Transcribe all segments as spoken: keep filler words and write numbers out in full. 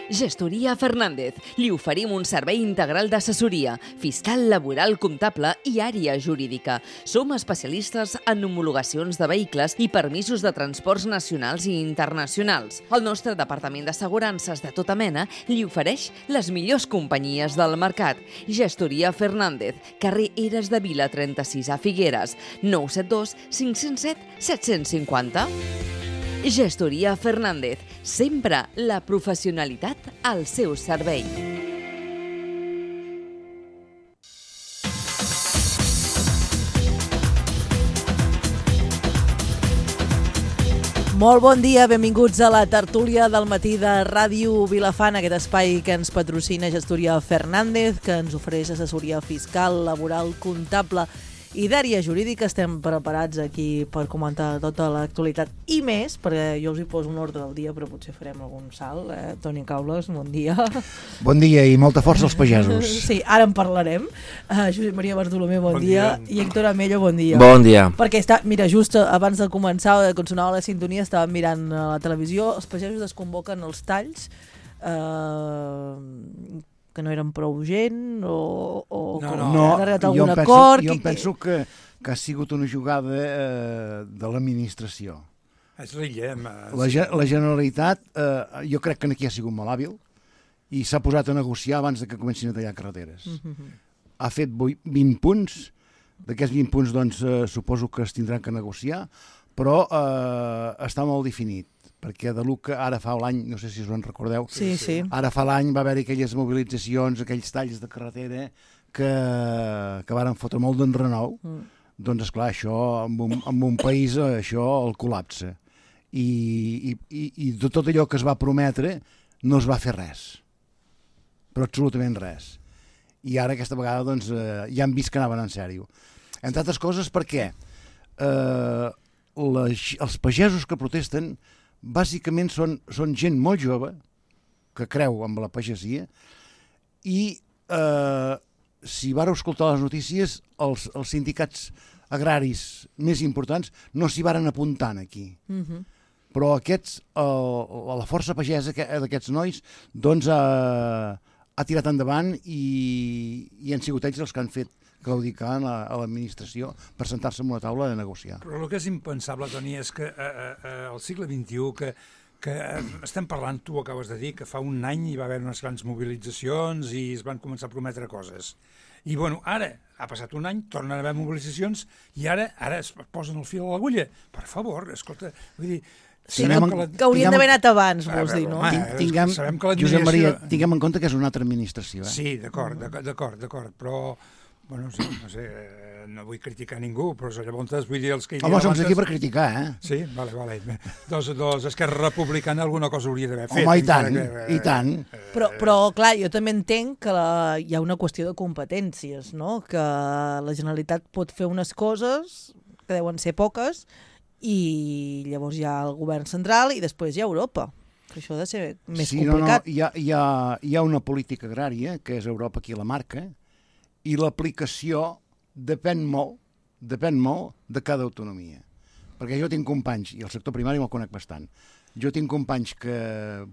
Gestoria Fernández. Li oferim un servei integral d'assessoria, fiscal, laboral, comptable i àrea jurídica. Som especialistes en homologacions de vehicles i permisos de transports nacionals i internacionals. El nostre departament d'assegurances de tota mena li ofereix les millors companyies del mercat. Gestoria Fernández, carrer Eres de Vila trenta-sis a Figueres, nou set dos cinc zero set set cinc zero. Gestoria Fernández, sempre la professionalitat al seu servei. Molt bon dia, benvinguts a la tertúlia del matí de Ràdio Vilafant, aquest espai que ens patrocina Gestoria Fernández, que ens ofereix assessoria fiscal, laboral, comptable i d'àrea jurídica. Estem preparats aquí per comentar tota l'actualitat i més, perquè jo us hi poso un ordre del dia, però potser farem algun salt. Eh? Toni Caules, bon dia. Bon dia i molta força als pagesos. Sí, ara en parlarem. Uh, Josep Maria Bartolomé, bon, bon dia. dia. I Héctor Amello, bon dia. Bon dia. Perquè està, mira, just abans de començar, quan sonava la sintonia, estàvem mirant a la televisió, els pagesos es convoquen els talls, eh... que no eren prou gent o, o no, no, no, han arribat a algun penso, acord? Jo em penso que, que ha sigut una jugada eh, de l'administració. És rillem. La, la Generalitat, eh, jo crec que aquí ha sigut molt hàbil i s'ha posat a negociar abans de que comencin a tallar carreteres. Uh-huh. Ha fet vint punts, d'aquests vint punts doncs, eh, suposo que es tindran que negociar, però eh, està molt definit, perquè de l'u que ara fa l'any, no sé si us en recordeu, sí, sí. ara fa l'any va haver-hi aquelles mobilitzacions, aquells talls de carretera que, que varen fotre molt d'enrenou, mm. doncs esclar, això en un, en un país això el col·lapsa. I, i, i, i de tot allò que es va prometre no es va fer res, però absolutament res. I ara aquesta vegada doncs, eh, ja han vist que anaven en sèrio. Entre altres coses perquè eh, les, els pagesos que protesten bàsicament són, són gent molt jove que creu en la pagesia i eh, si vareu escoltar les notícies els, els sindicats agraris més importants no s'hi varen apuntant aquí. Uh-huh. Però aquests, el, la força pagesa d'aquests nois doncs ha, ha tirat endavant i, i han sigut ells els que han fet claudicar a, a l'administració per sentar-se en una taula de negociar. Però el que és impensable, Toni, és que eh, eh, al segle vint-i-u, que, que eh, estem parlant, tu ho acabes de dir, que fa un any hi va haver unes grans mobilitzacions i es van començar a prometre coses. I, bueno, ara ha passat un any, tornen a haver mobilitzacions i ara ara es posen el fil a l'agulla. Per favor, escolta, vull dir... Sí, que, la, que haurien d'haver anat abans, vols dir, no? Home, tinguem, sabem que Josep Maria, tinguem en compte que és una altra administració. Eh? Sí, d'acord, d'acord, d'acord, però... Bueno, sí, no sé, no vull criticar ningú, però llavors vull dir els que hi havia... Home, som aquí per criticar, eh? Sí, vale, vale. Doncs, doncs Esquerra Republicana alguna cosa hauria d'haver fet. Home, i tant, que, i tant. Eh, però, però, clar, jo també entenc que la, hi ha una qüestió de competències, no? Que la Generalitat pot fer unes coses, que deuen ser poques, i llavors hi ha el govern central i després hi ha Europa. Que això ha de ser més sí, complicat. No, no, hi ha, hi, ha, hi ha una política agrària, que és Europa qui la marca, i l'aplicació depèn molt, depèn molt de cada autonomia. Perquè jo tinc companys, i el sector primari me'l conec bastant, jo tinc companys que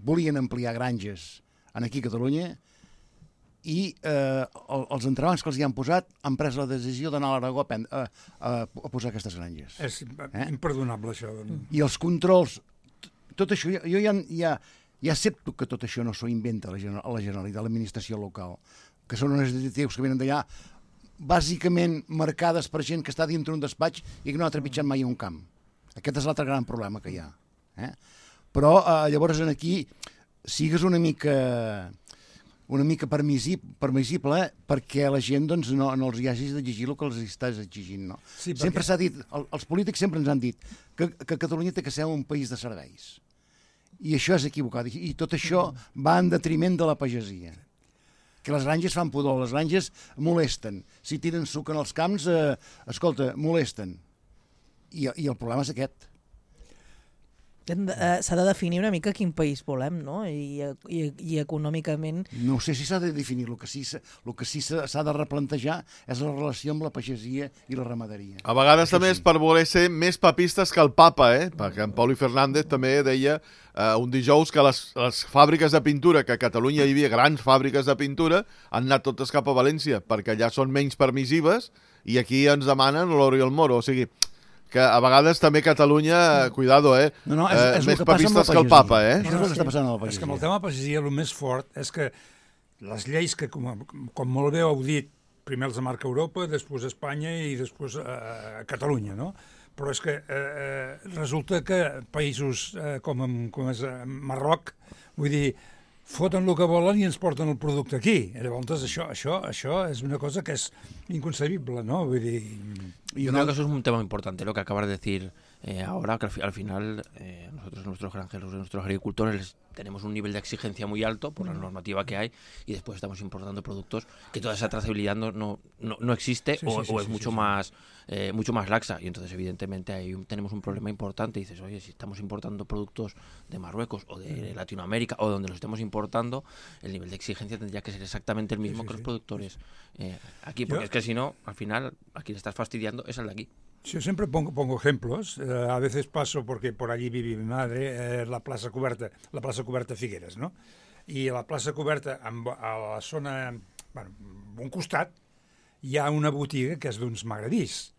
volien ampliar granges aquí a Catalunya i eh, els entrebancs que els hi han posat han pres la decisió d'anar a l'Aragó a, a, a posar aquestes granges. És eh? imperdonable, això. I els controls, tot això, jo ja, ja, ja accepto que tot això no s'ho inventa la Generalitat, l'administració local, que són unes detectius que venen d'allà, bàsicament marcades per gent que està dintre un despatx i que no ha trepitjat mai un camp. Aquest és l'altre gran problema que hi ha. Eh? Però eh, llavors aquí sigues una mica una mica permissible, permissible eh? perquè la gent doncs, no, no els hi hagis d'exigir el que els estàs exigint. No? Sí, perquè... Sempre s'ha dit, el, els polítics sempre ens han dit que, que Catalunya té que ser un país de serveis. I això és equivocat. I, i tot això va en detriment de la pagesia. Que les granges fan pudor, les granges molesten. Si tiren suc en els camps, eh, escolta, molesten. I, I el problema és aquest. S'ha de definir una mica quin país volem, no? I, i, i econòmicament... No sé si s'ha de definir, el que sí, el que sí s'ha de replantejar és la relació amb la pagesia i la ramaderia. A vegades Això també sí. és per voler ser més papistes que el papa, eh? Perquè en Pauli Fernández també deia eh, un dijous que les, les fàbriques de pintura, que a Catalunya hi havia grans fàbriques de pintura, han anat totes cap a València, perquè allà són menys permissives i aquí ens demanen l'oro i el moro, o sigui... que a vegades també Catalunya, cuidado, eh? No, no, és, és eh més el que passa amb la papistes que el pagesia. papa, eh? Això és el que està passant a la pagesia. És que amb el tema pagesia el més fort és que les lleis que, com, com molt bé heu dit, primer els marca Europa, després Espanya i després eh, Catalunya, no? Però és que eh, resulta que països eh, com, com és eh, Marroc, vull dir, foten el que volen i ens porten el producte aquí. Llavors, això, això, això és una cosa que és inconcebible, ¿no? Vull dir... Yo creo que eso es un tema importante, lo que acabas de decir eh, ahora, que al, fi, al final eh, nosotros, nuestros granjeros, nuestros agricultores, tenemos un nivel de exigencia muy alto por la normativa que hay y después estamos importando productos que toda esa trazabilidad no, no, no, no existe sí, o, sí, sí, o es sí, mucho sí, sí. más eh, mucho más laxa y entonces evidentemente ahí un, tenemos un problema importante y dices, oye, si estamos importando productos de Marruecos o de Latinoamérica o donde los estemos importando, el nivel de exigencia tendría que ser exactamente el mismo Sí, sí, que los sí. productores eh, aquí, porque Yo- es que si no, al final, a quien le estás fastidiando es al de aquí. Yo siempre pongo, pongo ejemplos. Eh, a veces paso, porque por allí vive mi madre, eh, la plaza Coberta, la plaza Coberta Figueres, no? I a la plaça Coberta, amb, a la zona, bueno, a un costat, hi ha una botiga que és d'uns magrebís.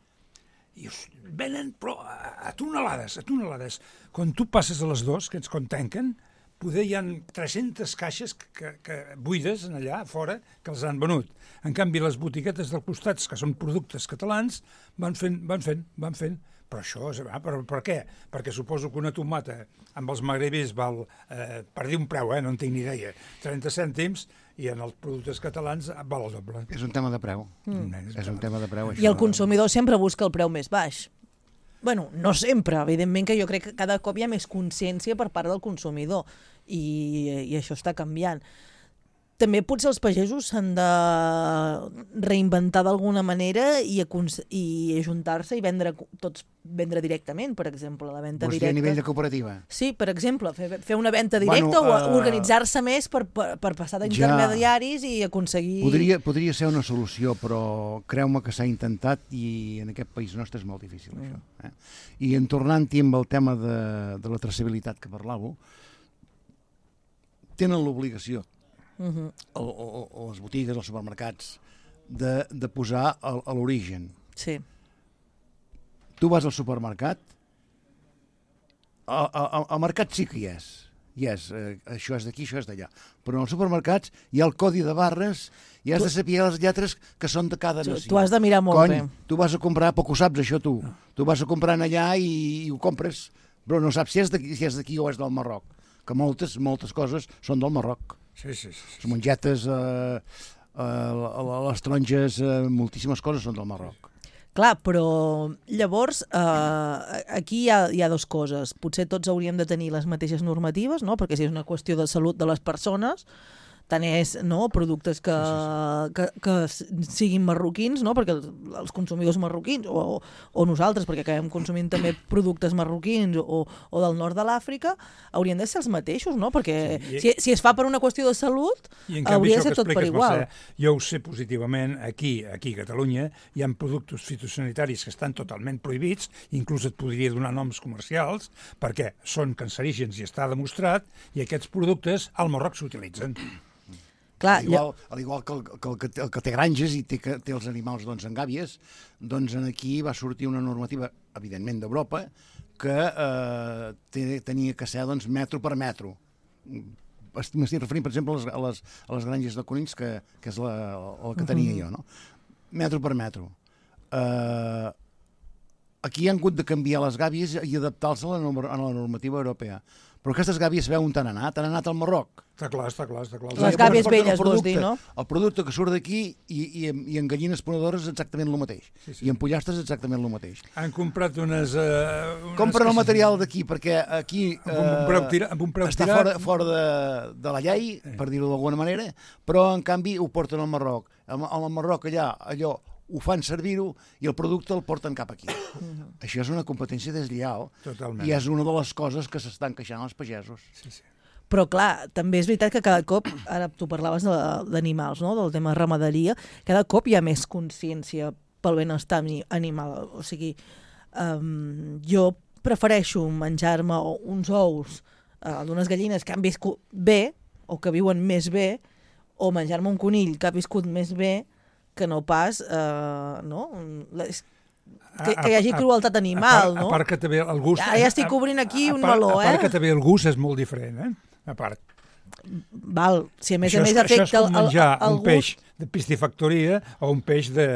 I us venen, però a, a tonelades, a tonelades. Quan tu passes a les dos, que ens quan tanquen, poder hi ha tres-centes caixes que, que, que buides en allà fora que els han venut. En canvi, les botiguetes dels costats, que són productes catalans, van fent, van fent, van fent. Però això, és, ah, per, per què? Perquè suposo que una tomata amb els magrebis val, eh, per dir un preu, eh, no en tinc ni idea, trenta cèntims, i en els productes catalans val el doble. És un tema de preu. Mm. És un tema de preu, això. I el consumidor sempre busca el preu més baix. Bueno, no sempre, evidentment que jo crec que cada cop hi ha més consciència per part del consumidor i, i això està canviant. També potser els pagesos s'han de reinventar d'alguna manera i, i ajuntar-se i vendre tots vendre directament, per exemple, la venda Vols dir directa. a nivell de cooperativa? Sí, per exemple, fer, fer una venda directa Bueno, o uh, organitzar-se més per, per, per passar d'intermediaris ja. i aconseguir... Podria, podria ser una solució, però creu-me que s'ha intentat i en aquest país nostre és molt difícil, mm. això. Eh? I en tornant-hi amb el tema de, de la traçabilitat que parlàveu, tenen l'obligació, uh-huh. o, o, o les botigues, els supermercats, de, de posar a, a l'origen. Sí. Tu vas al supermercat, al, al, al mercat sí que hi és, hi és, eh, això és d'aquí, això és d'allà, però en els supermercats hi ha el codi de barres i has tu... de saber les lletres que són de cada nació. Tu has de mirar molt Cony, bé. Tu vas a comprar, poc ho saps això tu, tu vas a comprar allà i, i ho compres, però no saps si és d'aquí si és d'aquí o és del Marroc, que moltes, moltes coses són del Marroc. Sí, sí, sí. Les mongetes, eh, eh, les taronges, eh, moltíssimes coses són del Marroc. Clar, però llavors eh, aquí hi ha, hi ha dues coses. Potser tots hauríem de tenir les mateixes normatives, no? Perquè si és una qüestió de salut de les persones, tant és, no, productes que, sí, sí, sí. que, que siguin marroquins, no? Perquè els consumidors marroquins, o, o nosaltres, perquè acabem consumint també productes marroquins o, o del nord de l'Àfrica, haurien de ser els mateixos, no? Perquè sí, i... si, si es fa per una qüestió de salut, hauria de ser tot per igual. Mercè, jo ho sé positivament, aquí, aquí a Catalunya, hi ha productes fitosanitaris que estan totalment prohibits, inclús et podria donar noms comercials, perquè són cancerígens i està demostrat, i aquests productes al Marroc s'utilitzen. Clar, al igual, al igual que, el, que, el, que té, el que té granges i té, té els animals doncs, en gàbies, doncs aquí va sortir una normativa, evidentment d'Europa, que eh, té, tenia que ser doncs, metro per metro. M'estic referint, per exemple, a les, a les, a les granges de conills, que, que és la, el que tenia uh-huh. jo, no? Metro per metro. Eh, aquí han hagut de canviar les gàbies i adaptar-se a, a la normativa europea. Però aquestes gàbies veu on t'han anat? Han anat al Marroc. Està clar, està clar, està clar. Les gàbies velles, vols dir, no? El producte que surt d'aquí i, i, i en gallines ponedores exactament el mateix. Sí, sí. I en pollastres exactament el mateix. Han comprat unes... Uh, unes Compren el material d'aquí, perquè aquí amb un preu tira, amb un preu està tirat. fora, fora de, de la llei, per dir-ho d'alguna manera, però en canvi ho porten al Marroc. Al Marroc allà, allò, ho fan servir-ho i el producte el porten cap aquí. Mm-hmm. Això és una competència deslleial. Totalment. I és una de les coses que s'estan queixant els pagesos. Sí, sí. Però clar, també és veritat que cada cop, ara tu parlaves d'animals, no? Del tema ramaderia, cada cop hi ha més consciència pel benestar animal. O sigui, um, jo prefereixo menjar-me uns ous uh, d'unes gallines que han viscut bé o que viuen més bé, o menjar-me un conill que ha viscut més bé que no pas, uh, no? Les, que, que hi hagi crueltat animal, a part, no? A part que també el gust... Ja, ja estic obrint aquí un part, meló, eh? A part que també el gust és molt diferent, eh? A part. Val, si a més això a més és, afecta això és com menjar el, el, el un peix de piscifactoria o un peix de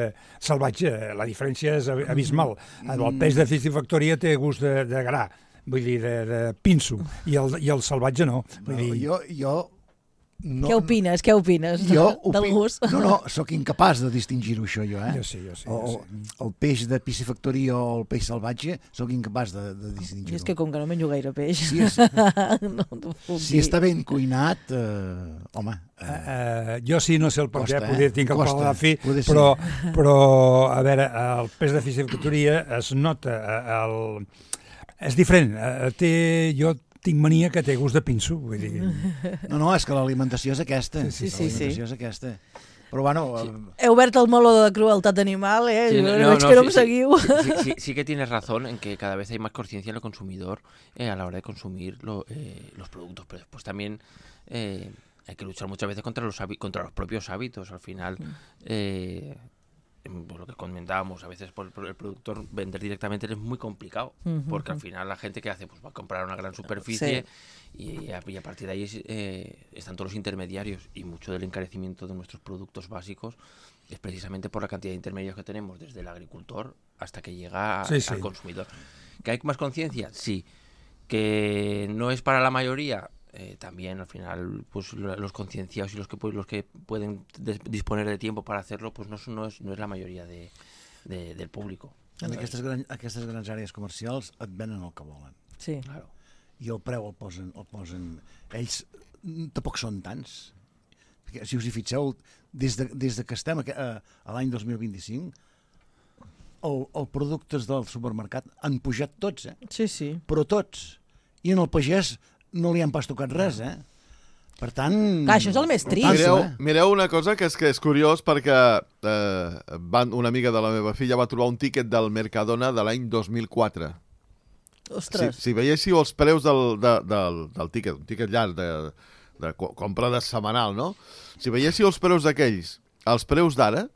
salvatge. La diferència és abismal. El peix de piscifactoria té gust de, de gra, vull dir, de, de pinso, i el, i el salvatge no. Vull No, dir... jo, jo no, què opines? Què opines jo del opin... gust? No, no, sóc incapaç de distingir-ho això, jo, eh? Jo sí, jo sí. O, Jo sí. el peix de piscifactoria o el peix salvatge, sóc incapaç de, de I distingir-ho. és que com que no menjo gaire peix... Si, és, no t'ho puc si dir. està ben cuinat, eh, home... Eh, Uh, jo sí, no sé el per què, Costa, eh? poder tinc el Costa, paladar fi, poder ser. però, però, a veure, el peix de piscifactoria es nota, eh, el... és diferent. Eh, té, jo tinc mania que té gust de pinso, vull dir... no, no, és que l'alimentació és aquesta. Sí, sí, sí. L'alimentació és aquesta. Però, bueno... Sí. Eh, He obert el meló de crueltat animal, eh? Sí, no, no, veig no, que no sí, em sí. seguiu. Sí, sí, sí que tienes razón en que cada vez hay más conciencia en el consumidor eh, a la hora de consumir lo, eh, los productos, pero después también eh, hay que luchar muchas veces contra los, contra los propios hábitos. Al final, eh, por lo que comentábamos, a veces por, por el productor vender directamente es muy complicado, Uh-huh. porque al final la gente que hace pues va a comprar una gran superficie y, a, y a partir de ahí eh, están todos los intermediarios, y mucho del encarecimiento de nuestros productos básicos es precisamente por la cantidad de intermediarios que tenemos, desde el agricultor hasta que llega a, Sí, sí. al consumidor. ¿Que hay más conciencia? Sí. ¿Que no es para la mayoría? Eh, también al final pues lo- los concienciados y los que pu- los que pueden des- disponer de tiempo para hacerlo pues no, son- no, es, no es la mayoría de, de- del público. en aquestes, gran, aquestes grans àrees comercials et venen el que volen. Sí. Claro. I el preu el posen... El posen ells mm, tampoc són tants. Perquè, si us hi fixeu, des de, des de que estem a, a l'any dos mil vint-i-cinc, el, els productes del supermercat han pujat tots, eh? Sí, sí. Però tots. I en el pagès no li han pas tocat res, eh? Per tant... Clar, això és el més trist. Tanto, Mireu, eh? mireu una cosa que és que és curiós, perquè eh, van, una amiga de la meva filla va trobar un tíquet del Mercadona de l'any dos mil quatre. Si, Ostres. si veiéssiu els preus del, de, del, del tíquet, un tíquet llarg de, de co- compra de setmanal, no? Si veiéssiu els preus d'aquells, els preus d'ara,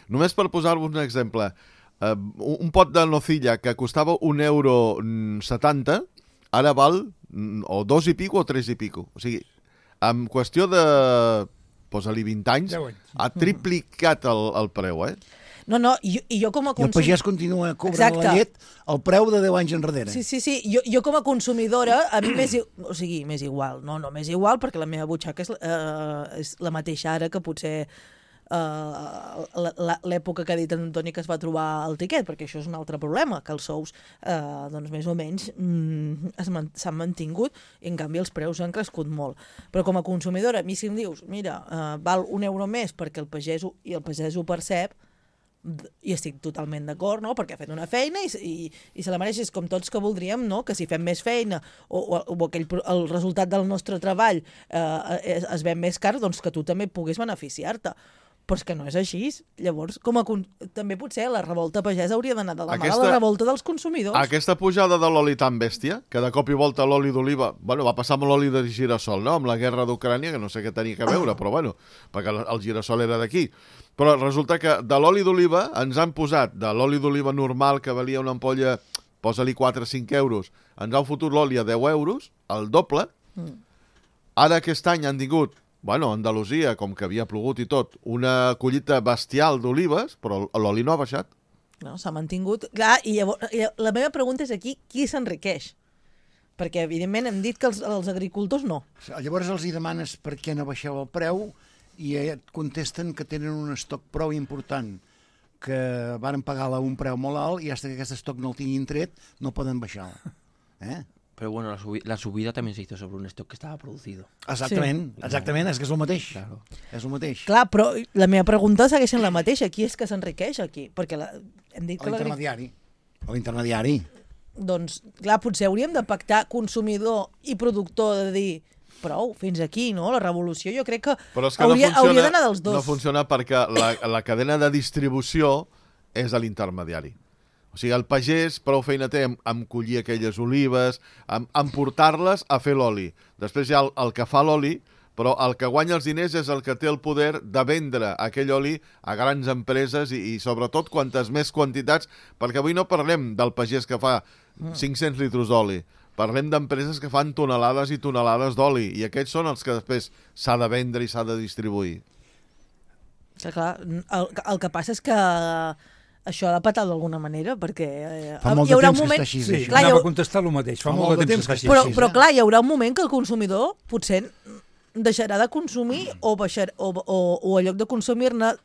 només per posar-vos un exemple, eh, un, un pot de nocilla que costava un euro mm, setanta, ara val mm, o dos i pico o tres i pico. O sigui, en qüestió de, posa-li vint anys, Deu anys. ha triplicat el, el preu, eh? No, no, i jo, i jo com a I el consum... pagès continua cobrant Exacte. la llet el preu de deu anys enrere. Sí, sí, sí. Jo, jo com a consumidora, a mi m'és, i- o sigui, m'és igual. No, no m'és igual perquè la meva butxaca és, eh, és la mateixa ara que potser eh, la- la- l'època que ha dit en Antoni que es va trobar el tiquet, perquè això és un altre problema, que els sous, eh, doncs més o menys, mm, es man- s'han mantingut i en canvi els preus han crescut molt. Però com a consumidora, a mi si em dius, mira, eh, val un euro més perquè el pagès ho, i el pagès ho percep, i estic totalment d'acord, no? Perquè ha fet una feina i, i, i se la mereix. És com tots que voldríem, no? Que si fem més feina o, o, o aquell, pro- el resultat del nostre treball eh, es, es ven més car, doncs que tu també puguis beneficiar-te. Però és que no és així. Llavors, com a con... també potser la revolta pagesa hauria d'anar de la mà Aquesta- de la revolta dels consumidors. Aquesta pujada de l'oli tan bèstia, que de cop i volta l'oli d'oliva... Bueno, va passar amb l'oli de girassol, no? Amb la guerra d'Ucrània, que no sé què tenia que veure, però bueno, perquè el el girassol era d'aquí. Però resulta que de l'oli d'oliva ens han posat, de l'oli d'oliva normal, que valia una ampolla, posa-li quatre o cinc euros, ens han fotut l'oli a deu euros, el doble. Mm. Ara aquest any han tingut, bueno, a Andalusia, com que havia plogut i tot, una collita bestial d'olives, però l'oli no ha baixat. No, s'ha mantingut. Clar, i llavors, i la meva pregunta és aquí, qui s'enriqueix? Perquè, evidentment, hem dit que els, els agricultors no. Llavors els hi demanes per què no baixeu el preu i et contesten que tenen un estoc prou important, que varen pagar-la a un preu molt alt i fins que aquest estoc no el tinguin tret no poden baixar. Eh? Pero bueno, la, subi la subida también se hizo sobre un stock que estaba producido. Exactament, sí. exactament, és que és el mateix. Claro. És el mateix. Clar, però la meva pregunta segueix sent la mateixa. Qui és que s'enriqueix aquí? Perquè la... hem dit que L'intermediari. L'intermediari. Doncs, clar, potser hauríem de pactar consumidor i productor de dir prou, fins aquí, no? La revolució jo crec que, Però és que hauria, no hauria d'anar dels dos. No funciona perquè la, la cadena de distribució és a l'intermediari. O sigui, el pagès prou feina té en, en collir aquelles olives, en, en portar-les a fer l'oli. Després hi ha el, el que fa l'oli, però el que guanya els diners és el que té el poder de vendre aquell oli a grans empreses i, i sobretot quantes més quantitats, perquè avui no parlem del pagès que fa cinc-cents litres d'oli, parlem d'empreses que fan tonelades i tonelades d'oli, i aquests són els que després s'ha de vendre i s'ha de distribuir. Que, clar, el, el que passa és que això ha de patar d'alguna manera, perquè eh, Fa molt hi haurà de temps un moment... que està així, Sí, això. clar, hi anava ha- a contestar el mateix. Fa, molt de temps que està així. Però, sí, però sí. clar, hi haurà un moment que el consumidor potser deixarà de consumir o, baixar, o, o, o en lloc de consumir-ne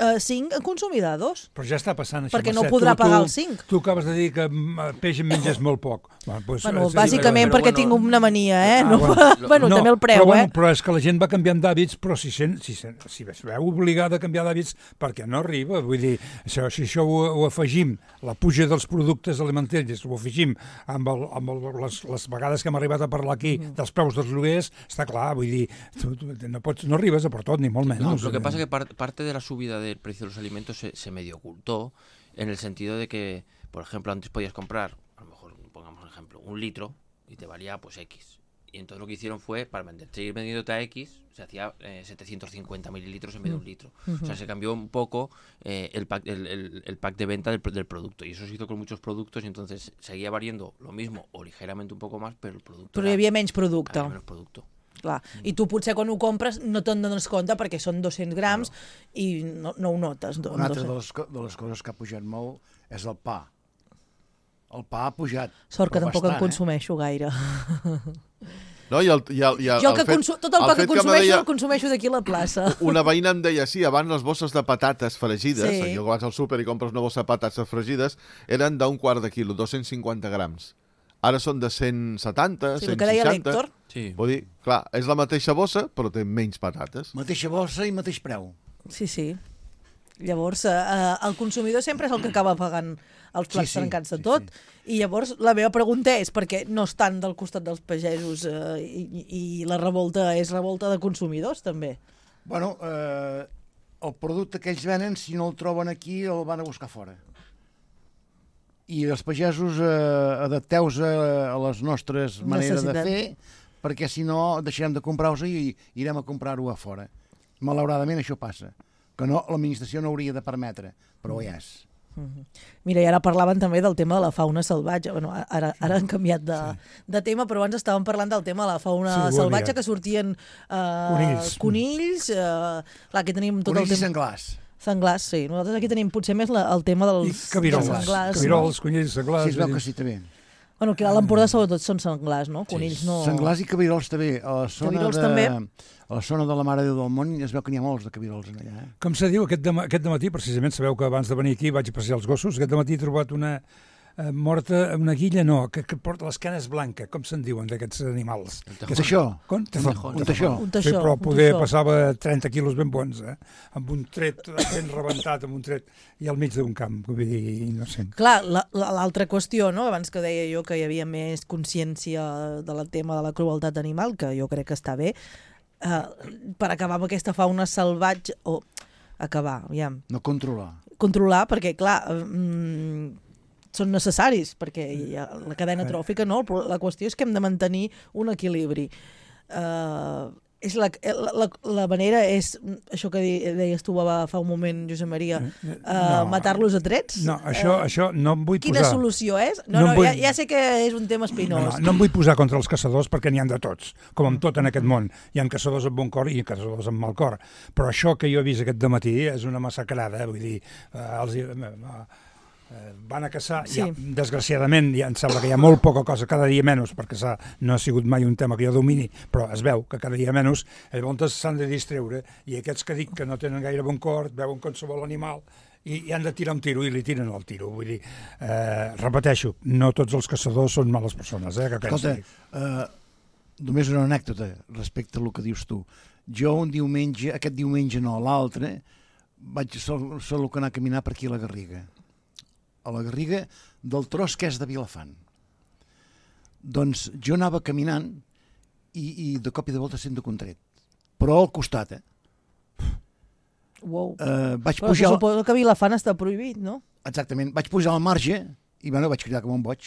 eh, cinc, en consumirà dos. Però ja està passant això. Perquè no Mercè. podrà Tu- tu- pagar els cinc. Tu acabes de dir que mm, peix en menges molt poc. Bueno, pues, Bueno, és- bàsicament però perquè bueno- tinc una mania, eh? Ah, No, bueno. bueno, no, també el preu, però, bueno, eh? però és que la gent va canviant d'hàbits, però si, sent, si, sent, si es veu obligada a canviar d'hàbits perquè no arriba, vull dir, això, si això ho, ho afegim, la puja dels productes alimentaris, ho afegim amb, el, amb el, les, les vegades que hem arribat a parlar aquí Mm. dels preus dels lloguers, està clar, vull dir, tu, tu, no, pots, no arribes a per tot, ni molt menys. No, lo que pasa es que par parte de la subida del precio de los alimentos se, se medio ocultó en el sentido de que, por ejemplo, antes podías comprar, a lo mejor, pongamos un ejemplo, un litro y te valía pues X. Y entonces lo que hicieron fue, para vender, seguir vendiéndote a X, se hacía eh, setecientos cincuenta mililitros en vez de un litro. O sea, se cambió un poco eh, el, pack, el, el, el pack de venta del, del producto. Y eso se hizo con muchos productos y entonces seguía variando lo mismo o ligeramente un poco más, pero el producto... Però hi era- havia menys producte. había menos producto. Clar. I tu potser quan ho compres no te'n dones compte perquè són dos-cents grams i no, no ho notes. Una altra de les, co- de les coses que ha pujat molt és el pa. El pa ha pujat. Sort que però tampoc bastant, en consumeixo gaire. No? I el, i el, i el, Jo el que fet, consu tot el pa que fet me consumeixo deia- el consumeixo d'aquí a la plaça. Una veïna em deia, sí, abans les bosses de patates fregides, Sí. jo vas al súper i compres una bossa de patates fregides, eren d'un quart de quilo, dos-cents cinquanta grams. Ara són de cent setanta, Sí, el cent que deia seixanta. l'Héctor. Sí. Vull dir, clar, és la mateixa bossa, però té menys patates. Mateixa bossa i mateix preu. Sí, sí. Llavors, eh, el consumidor sempre és el que acaba pagant els plats Sí, sí, trencats de sí, tot. I llavors la meva pregunta és perquè no estan del costat dels pagesos eh, i, i la revolta és revolta de consumidors, també. Bueno, eh, el producte que ells venen, si no el troben aquí, el van a buscar fora. I els pagesos eh, adapteu-vos a, a les nostres maneres de Necessitat. fer, perquè si no deixarem de comprar-ho i irem a comprar-ho a fora. Malauradament això passa, que no, l'administració no hauria de permetre, però ja és. Mira, i ara parlaven també del tema de la fauna salvatge. Bueno, ara, ara han canviat de, sí. de tema, però abans estàvem parlant del tema de la fauna Sí, ho salvatge, havia. que sortien eh, Conills. conills eh, clar, aquí tenim tot Conills el i tema... senglars. Senglars, sí. Nosaltres aquí tenim potser més la, el tema I dels, cabirols, dels senglars. cabirols, conills, Sí, senglars... es veu vull que dir- sí, també. Bueno, que a l'Empordà sobretot són senglars, no? Conills no... Senglars i cabirols també. A la zona Cabirols de, també. A la zona de la Mare de Déu del Món es veu que n'hi ha molts de cabirols en allà. Eh? Com se diu, aquest, demà, aquest dematí, precisament, sabeu que abans de venir aquí vaig a passejar els gossos, aquest dematí he trobat una eh, morta, una guilla, no, que, que porta les canes blanques, com se'n diuen d'aquests animals? El Un teixó. Com? Tejón. Un teixó. Un Sí, teixó, però un poder teixó. passava trenta quilos ben bons, eh? Amb un tret ben rebentat, amb un tret, i al mig d'un camp, vull dir, innocent. Clar, l'altra la, la, qüestió, no? Abans que deia jo que hi havia més consciència del tema de la crueltat animal, que jo crec que està bé, eh, per acabar amb aquesta fauna salvatge, o acabar, aviam, No controlar. controlar, perquè clar, mm, són necessaris, perquè hi ha la cadena tròfica, no? Però la qüestió és que hem de mantenir un equilibri. Uh, és la, la, la, la manera és, això que de- deies tu va fa un moment, Josep Maria, uh, No. matar-los a trets? No, això, Eh, això no em vull Quina posar... solució és? No, No no, em vull- ja, ja sé que és un tema No, espinós. no, no em vull posar contra els caçadors perquè n'hi han de tots, com en tot en aquest món. Hi ha caçadors amb bon cor i caçadors amb mal cor. Però això que jo he vist aquest dematí és una massacrada, eh? Vull dir, eh, els, eh, eh, van a caçar, Sí. ja, desgraciadament ja em sembla que hi ha molt poca cosa, cada dia menys, perquè caçar no ha sigut mai un tema que jo domini, però es veu que cada dia menys, llavors s'han de distreure, i aquests que dic que no tenen gaire bon cor, veuen qualsevol animal, i, i han de tirar un tiro, i li tiren el tiro. Vull dir, eh, repeteixo, no tots els caçadors són males persones, eh, que Escolta, pensi. eh, només una anècdota respecte al que dius tu. Jo un diumenge, aquest diumenge no, l'altre, vaig sol, sol anar a caminar per aquí a la Garriga. A la Garriga del tros que és de Vilafant. Doncs jo anava caminant i, i de cop i de volta sento contret. Però al costat, eh? Wow. Uh, vaig Però pujar... suposo que Vilafant està prohibit, no? Exactament. Vaig pujar al marge i bueno, vaig cridar com un boig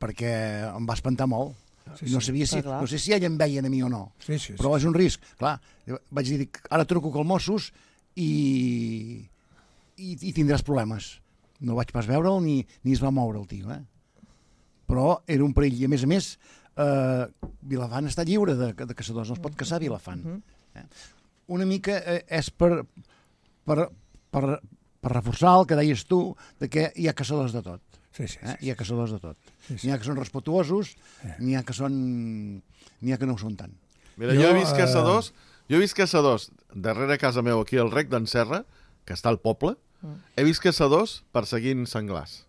perquè em va espantar molt. Sí, no sí. sabia si, Ah, no sé si ella em veien a mi o no, Sí, sí, sí. però és un risc. Clar, vaig dir, ara truco col Mossos i, i, i tindràs problemes. No vaig pas veure'l ni, ni es va moure el tio, eh? Però era un perill. I a més a més, eh, Vilafant està lliure de, de caçadors, no es pot caçar a Vilafant. Eh? Una mica eh, és per, per, per, per reforçar el que deies tu, de que hi ha caçadors de tot. Sí, sí, Eh? sí. Hi ha caçadors de tot. Sí, sí. N'hi ha que són respetuosos, n'hi ha que són... n'hi ha que no ho són tant. Mira, jo, Jo, he vist eh, caçadors, jo he vist caçadors darrere casa meu, aquí al Rec d'en Serra, que està al poble, he vist caçadors perseguint senglars.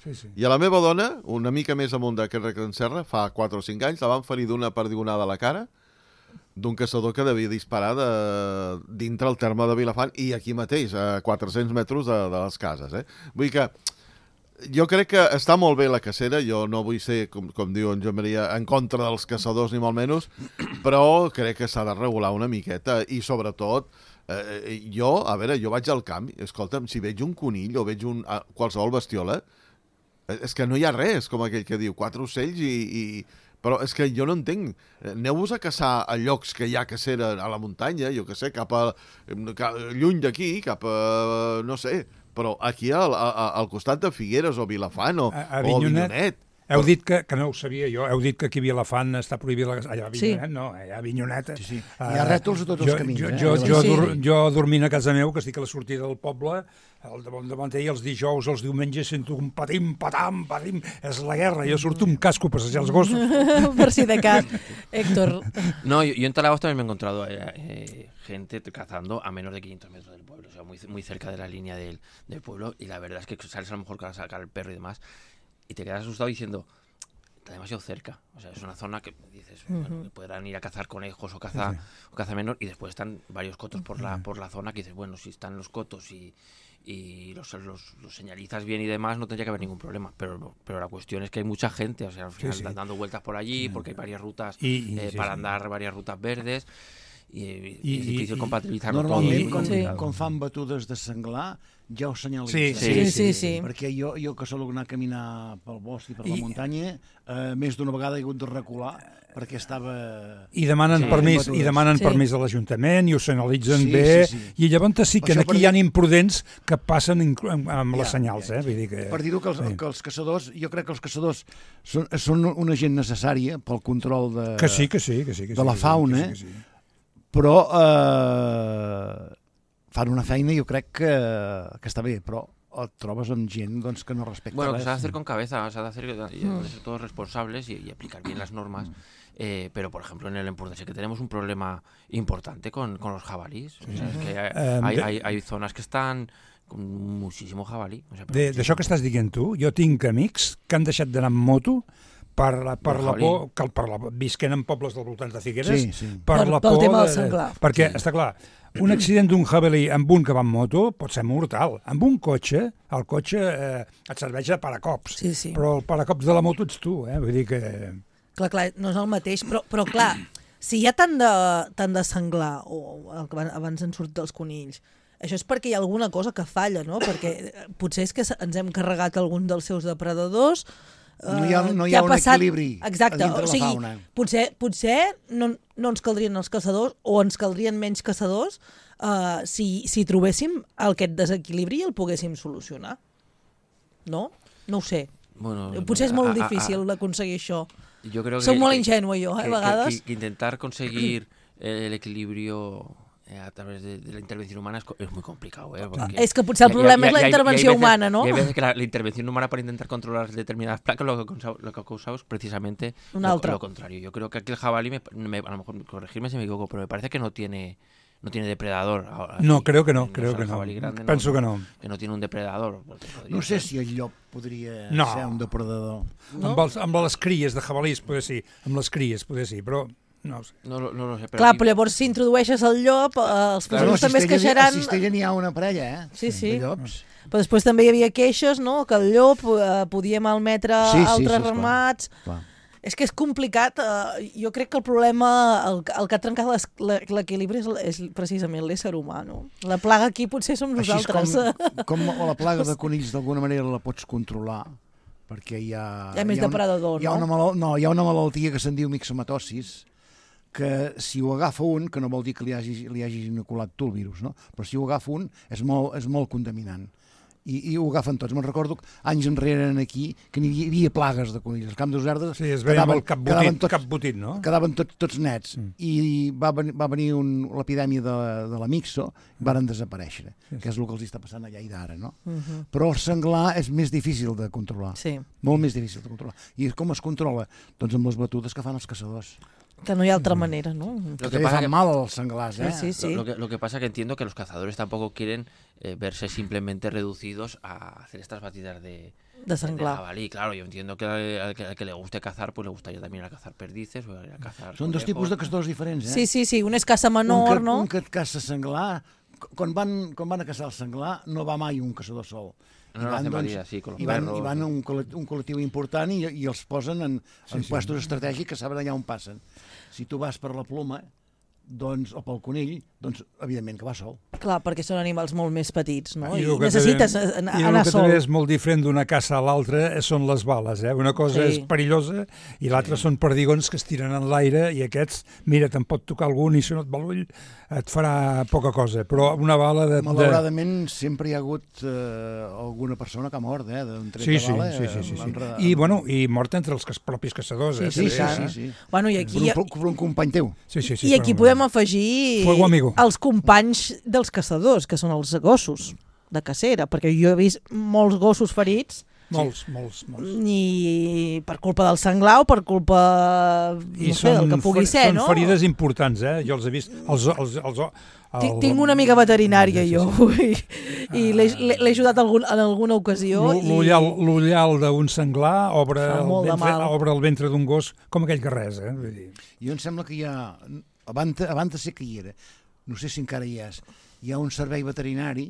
Sí, sí. I a la meva dona, una mica més amunt d'aquest Rec d'en Serra, fa quatre o cinc anys, la van ferir d'una perdigonada a la cara d'un caçador que devia disparar de, dintre el terme de Vilafant i aquí mateix, a quatre-cents metres de, de les cases. Eh? Vull dir que jo crec que està molt bé la cacera, jo no vull ser, com, com diu en Joan Maria, en contra dels caçadors ni molt menys, però crec que s'ha de regular una miqueta i sobretot, eh, jo, a veure, jo vaig al camp, escolta'm, si veig un conill o veig un, ah, qualsevol bestiola, eh, és que no hi ha res, com aquell que diu, quatre ocells i... i però és que jo no entenc. Aneu-vos a caçar a llocs que hi ha cacera a la muntanya, jo que sé, cap a... Cap, lluny d'aquí, cap a... no sé, però aquí al, a, al costat de Figueres o Vilafant o, A, a o Avinyonet. Avinyonet. Heu dit que, que no ho sabia jo, heu dit que aquí a Vilafant està prohibit la... Allà a Avinyonet, Sí. no, allà a Avinyonet... Sí, sí. Hi ha rètols a tots els jo, camins, Jo, eh? jo, Sí, jo, sí. dur, jo dormint a casa meu, que estic a la sortida del poble, el davant davant ell, els dijous, els diumenges, sento un patim, patam, patim, és la guerra, jo surto amb casco a passejar els gossos. Per si de cas. Héctor, No, yo, yo en Talagos también me he encontrado eh, eh, gente cazando a menos de quinientos metros del pueblo, o sea, muy, muy cerca de la línea del, del pueblo, y la verdad es que sales a lo mejor para sacar el perro y demás, y te quedas asustado diciendo, está demasiado cerca, o sea, es una zona que dices, bueno, que podrán ir a cazar conejos o caza, o caza menor, y después están varios cotos por la, por la zona que dices, bueno, si están los cotos y... y los, los, los señalizas bien y demás, no tendría que haber ningún problema. Pero, pero la cuestión es que hay mucha gente, o sea, al final sí. están dando vueltas por allí, porque hay varias rutas Y- y- eh, sí, para sí. andar, varias rutas verdes, y, y Y- es difícil y- compatibilizarlo todo. Normalment, y muy quan, Sí. complicado. quan fan batudes de senglar, ja ho senyalitzen. Sí, sí, sí, sí. Perquè jo, jo que sóc anar a caminar pel bosc i per la I- muntanya, eh, més d'una vegada he hagut de recular perquè estava... I demanen Sí, permís, batudes. i demanen Sí. permís a l'Ajuntament i ho senyalitzen Sí, bé, sí, sí. i llavors sí que Això aquí per hi ha dir- imprudents que passen inclu- amb, amb les Ja, senyals, ja. eh? Vull dir que... Per dir-ho que, els, sí. que els caçadors, jo crec que els caçadors són, són una gent necessària pel control de, Que sí, que sí, que sí. Que de sí, la que sí, fauna, que sí, que sí. però eh, fan una feina jo crec que, que està bé, però et trobes amb gent doncs, que no respecta Bueno, que res. se ha de hacer con cabeza, se ha de hacer y de ser todos responsables y, y aplicar bien las normas. Eh, pero, por ejemplo, en el Empordà que tenemos un problema importante con, con los jabalíes. O sea, es que hay, Em, hay, de- hay, hay zonas que están con muchísimo jabalí. O sea, pero De- muchísimo. D'això que estàs dient tu, jo tinc amics que han deixat d'anar amb moto per la, per Del la jabalí. por, que, per la, visquent en pobles del voltant de Figueres, Sí, sí. per, Per- la pel por... tema del de- senglar. Perquè, Sí. està clar, un accident d'un jabalí amb un que va amb moto pot ser mortal. Amb un cotxe, el cotxe eh, et serveix de paracops, Sí, sí. però el paracops de la moto ets tu, eh? Vull dir que... clar, clar, no és el mateix, però, però clar, si hi ha tant de, tant de senglar, o el que van- abans han sortit els conills, això és perquè hi ha alguna cosa que falla, no? Perquè eh, potser és que s- ens hem carregat algun dels seus depredadors, No hi ha- eh, no hi que ha un equilibri Exacte, a dintre o la sigui, fauna. potser, potser no, no ens caldrien els caçadors o ens caldrien menys caçadors uh, si, si trobéssim aquest desequilibri i el poguéssim solucionar. No? No ho sé. Bueno, Potser és a- molt a- a- difícil d'aconseguir això. Yo creo Soc que, molt que- ingenua jo, eh, a que- que- vegades. que- que intentar conseguir el equilibrio eh, a través de, de la intervención humana es, es muy complicado. ¿eh? Porque és que potser el problema és la intervenció veces, humana, ¿no? Y hay veces que la, la intervención humana para intentar controlar determinadas placas lo que, lo que ha causado es precisamente lo, lo contrario. Yo creo que aquí el jabalí, me, me, a lo mejor corregirme si me equivoco, pero me parece que no tiene... No tiene depredador. Aquí, no, creo que no, no creo que no. Grande, Penso no, que no. Que no tiene un depredador. No sé ser. si el llop podria no. ser un depredador. No? Amb, els, amb les cries de jabalís, poder sí. Amb les cries, poder sí, però no ho sé. No, no, no sé, però Clar, aquí... però llavors si introdueixes el llop, eh, els claro, pagesos també es queixaran... A Cistella n'hi ha una parella, eh? Sí, sí. De llops. Però després també hi havia queixes, no?, que el llop eh, podia malmetre sí, sí, altres sí, ramats... Clar. És que és complicat. Eh, jo crec que el problema, el, el que ha trencat l'equilibri és, és precisament l'ésser humà, no? La plaga aquí potser som nosaltres. Així com, com la plaga de conills d'alguna manera la pots controlar, perquè hi ha... Hi ha més hi ha depredador, una, hi ha una malalt, no? Hi ha una malaltia que se'n diu mixomatosis, que si ho agafa un, que no vol dir que li hagi, li hagi inoculat tu el virus, no? Però si ho agafa un és molt, és molt contaminant. I, i ho agafen tots. Me'n recordo anys enrere aquí que n'hi havia, havia plagues de conills. El camp de Usardes sí, es veia molt capbotit, tot, capbotit, no? Quedaven tot, tots nets. Mm. I va, va venir un, l'epidèmia de, de la mixo, varen desaparèixer, sí. que és el que els està passant allà i d'ara, no? Uh -huh. Però el senglar és més difícil de controlar. Sí. Molt més difícil de controlar. I com es controla? Doncs amb les batudes que fan els caçadors. Que no hay otra manera, ¿no? Lo que pasa que mal a los senglars, ¿eh? Sí, sí, sí. Lo, lo, que, lo que pasa que entiendo que los cazadores tampoco quieren eh, verse simplemente reducidos a hacer estas batidas de, de senglar. De jabalí. Claro, yo entiendo que al que, al que le guste cazar, pues le gustaría también ir a cazar perdices o ir a cazar... Són dos tipus de caçadors diferents, eh? Sí, sí, sí. Un és caça menor, un que, no? Un que et caça senglar... Quan van, quan van a caçar el senglar, no va mai un caçador sol. No, no, no, doncs, sí, i van, i van un, col·lectiu, un col·lectiu important i, i els posen en, sí, en sí, puestos sí. estratègics que saben allà on passen. Si tu vas per la ploma, doncs, o pel conill, doncs, evidentment que va sol. Clar, perquè són animals molt més petits, no? I, I necessites també, anar, i anar sol. I el que també és molt diferent d'una caça a l'altra són les bales, eh? Una cosa sí. és perillosa i l'altra sí. són perdigons que es tiren en l'aire i aquests, mira, te'n pot tocar algun i si no et va l'ull et farà poca cosa, però una bala de... Malauradament de... sempre hi ha hagut eh, alguna persona que ha mort, eh? D'un tret sí, de sí, bala. Sí, sí, sí, sí. Re... I, bueno, i mort entre els propis caçadors, sí, eh? Sí, sí, sí, sí. Bueno, i aquí... Per un, per un company teu. Sí, sí, sí, I aquí podem afegir els companys dels caçadors, que són els gossos de cacera, perquè jo he vist molts gossos ferits. Molts, molts, molts. I per culpa del senglar o per culpa no sé, del que pugui ser, són no? Són ferides importants, eh? Jo els he vist... Els, els, els, el... Tinc una amiga veterinària, jo, i, i l'he ajudat algun, en alguna ocasió. L'ullal d'un senglar obre el, ventre, obre el ventre d'un gos com aquell que res, eh? Vull dir. Jo em sembla que hi ha... Abans, abans sé que hi era, no sé si encara hi és, hi ha un servei veterinari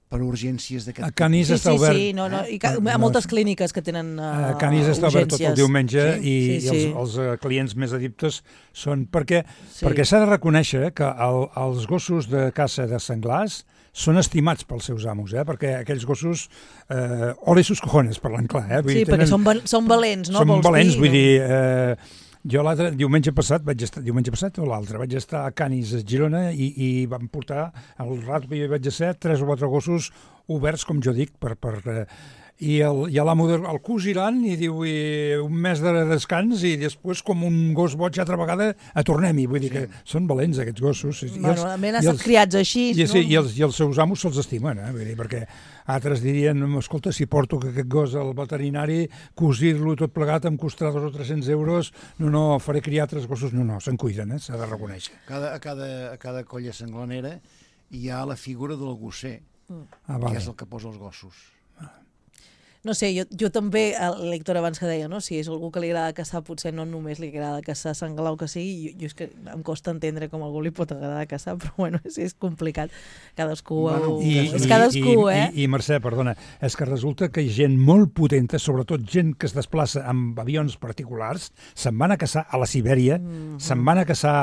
per urgències d'aquest... A Canis sí, està sí, obert. Sí, no, no, i ca... a moltes clíniques que tenen uh, a Canis està obert tot el diumenge sí, i, sí, sí. i els, els uh, clients més adiptes són... Perquè sí. perquè s'ha de reconèixer que el, els gossos de caça de senglars són estimats pels seus amos, eh? Perquè aquells gossos... Eh, ole sus cojones, parlant clar, eh? Vull sí, dir, tenen, perquè són, val són valents, no? Són Vols valents, dir, vull no? dir... Eh, jo l'altre diumenge passat, vaig estar, diumenge passat o l'altre, vaig estar a Canis, a Girona, i, i vam portar, al rato que jo vaig ser, tres o quatre gossos oberts, com jo dic, per... per eh, i el, i l'amo el cosiran i diu i un mes de descans i després com un gos boig altra vegada a tornem-hi, vull dir sí. que són valents aquests gossos. I bueno, els, han estat criats així, i, no? Sí, i, els, i els seus amos se'ls estimen, eh? Vull dir, perquè altres dirien, escolta, si porto aquest gos al veterinari, cosir-lo tot plegat em costarà dos o tres-cents euros, no, no, faré criar tres gossos, no, no, se'n cuiden, eh? S'ha de reconèixer. Cada, a, cada, a cada colla senglanera hi ha la figura del gosser, ah, vale. que és el que posa els gossos. No sé, jo, jo també, l'Héctor abans que deia, no? Si és algú que li agrada caçar, potser no només li agrada caçar senglar o que sigui, jo, jo és que em costa entendre com a algú li pot agradar caçar, però bueno, és, és complicat. Cadascú... Bueno, i, és i, cadascú, i, eh? I, I Mercè, perdona, és que resulta que gent molt potenta, sobretot gent que es desplaça amb avions particulars, se'n van a caçar a la Sibèria, mm-hmm. se'n van a caçar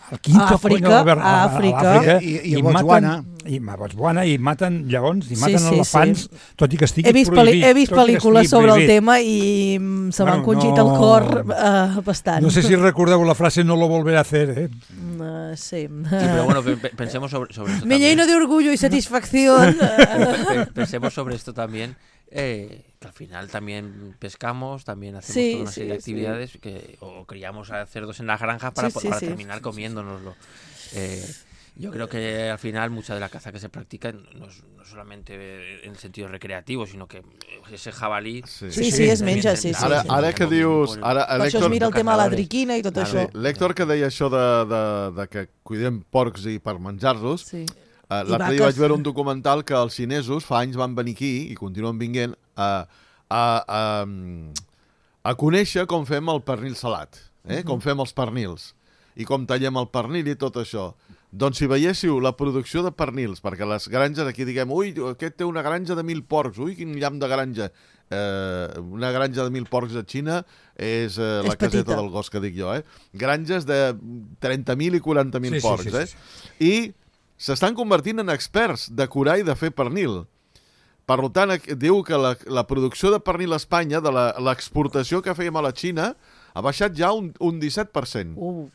al quinto a Àfrica, coño, a, a Àfrica, i, i, i a Botswana. I a Botswana, i maten lleons, i maten sí, sí, elefants, sí. tot i que estigui he vist prohibit. He vist pel·lícules sobre prohibit. el tema i se m'ha encongit no, el cor uh, bastant. No sé si recordeu la frase no lo volveré a hacer, eh? Uh, sí. Sí, pero bueno, pensemos sobre, sobre esto Me lleno de orgullo y satisfacción. Pensemos sobre esto también. Eh, que al final también pescamos, también hacemos sí, toda una sí, serie de actividades sí. que, o criamos a cerdos en las granjas para, sí, sí, para sí, terminar sí, comiéndonoslo. Eh, Yo creo que al final mucha de la caza que se practica no es no solamente en el sentido recreativo, sino que ese jabalí... Sí, sí, sí es menja, sí, sí. Ara, ara que dius... Ara, per això es mira el tema de la triquina i tot claro, això. Sí. L'Héctor que deia això de, de, de que cuidem porcs i per menjar-los, sí. uh, l'altre dia vaig veure un documental que els xinesos fa anys van venir aquí i continuen vinguent a, a, a, a conèixer com fem el pernil salat, eh? Uh-huh. Com fem els pernils i com tallem el pernil i tot això. Doncs si veiéssiu la producció de pernils, perquè les granges aquí diguem, ui, aquest té una granja de mil porcs, ui, quin llamp de granja. Eh, una granja de mil porcs a Xina és, eh, és la caseta petita del gos que dic jo, eh? Granges de trenta mil i quaranta mil sí, porcs, sí, sí, sí, sí. eh? I s'estan convertint en experts de curar i de fer pernil. Per tant, diu que la, la producció de pernil a Espanya, de l'exportació que fèiem a la Xina, ha baixat ja un, un disset per cent. Uh.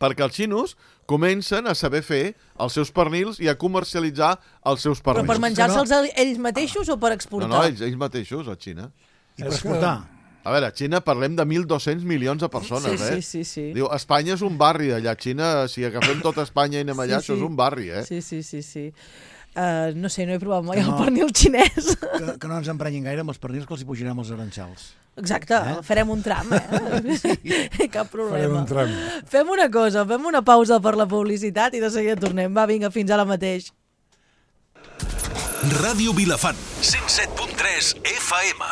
Perquè els xinos comencen a saber fer els seus pernils i a comercialitzar els seus pernils. Però per menjar-se'ls ells mateixos o per exportar? No, no, ells, ells mateixos, a Xina. I per exportar? A veure, a Xina parlem de mil dos-cents milions de persones, sí, eh? Sí, sí, sí. Diu, Espanya és un barri, allà a Xina, si agafem tota Espanya i anem allà, sí, sí. Això és un barri, eh? Sí, sí, sí, sí. Uh, no sé, no he provat mai no, el pernil xinès. Que, que no ens emprenyin gaire amb els pernils, que els hi pujarem els aranxals. Exacte, eh? Farem un tram, eh? Sí. Cap problema. Farem un tram. Fem una cosa, fem una pausa per la publicitat i de seguida tornem. Va, vinga, fins ara mateix. Ràdio Vilafant, cent set punt tres F M.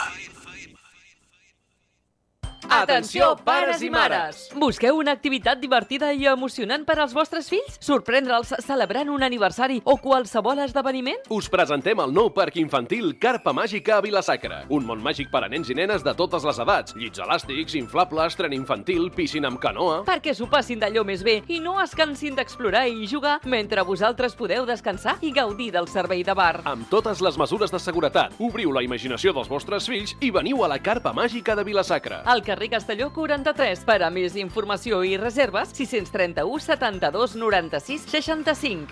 Atenció, pares i mares! Busqueu una activitat divertida i emocionant per als vostres fills? Sorprendre'ls celebrant un aniversari o qualsevol esdeveniment? Us presentem el nou parc infantil Carpa Màgica a Vila-sacra. Un món màgic per a nens i nenes de totes les edats. Llits elàstics, inflables, tren infantil, piscina amb canoa... Perquè s'ho passin d'allò més bé i no es cansin d'explorar i jugar mentre vosaltres podeu descansar i gaudir del servei de bar. Amb totes les mesures de seguretat. Obriu la imaginació dels vostres fills i veniu a la Carpa Màgica de Vila-sacra. Al carrer Castelló quaranta-tres. Per a més informació i reserves, sis trenta u setanta-dos noranta-sis seixanta-cinc.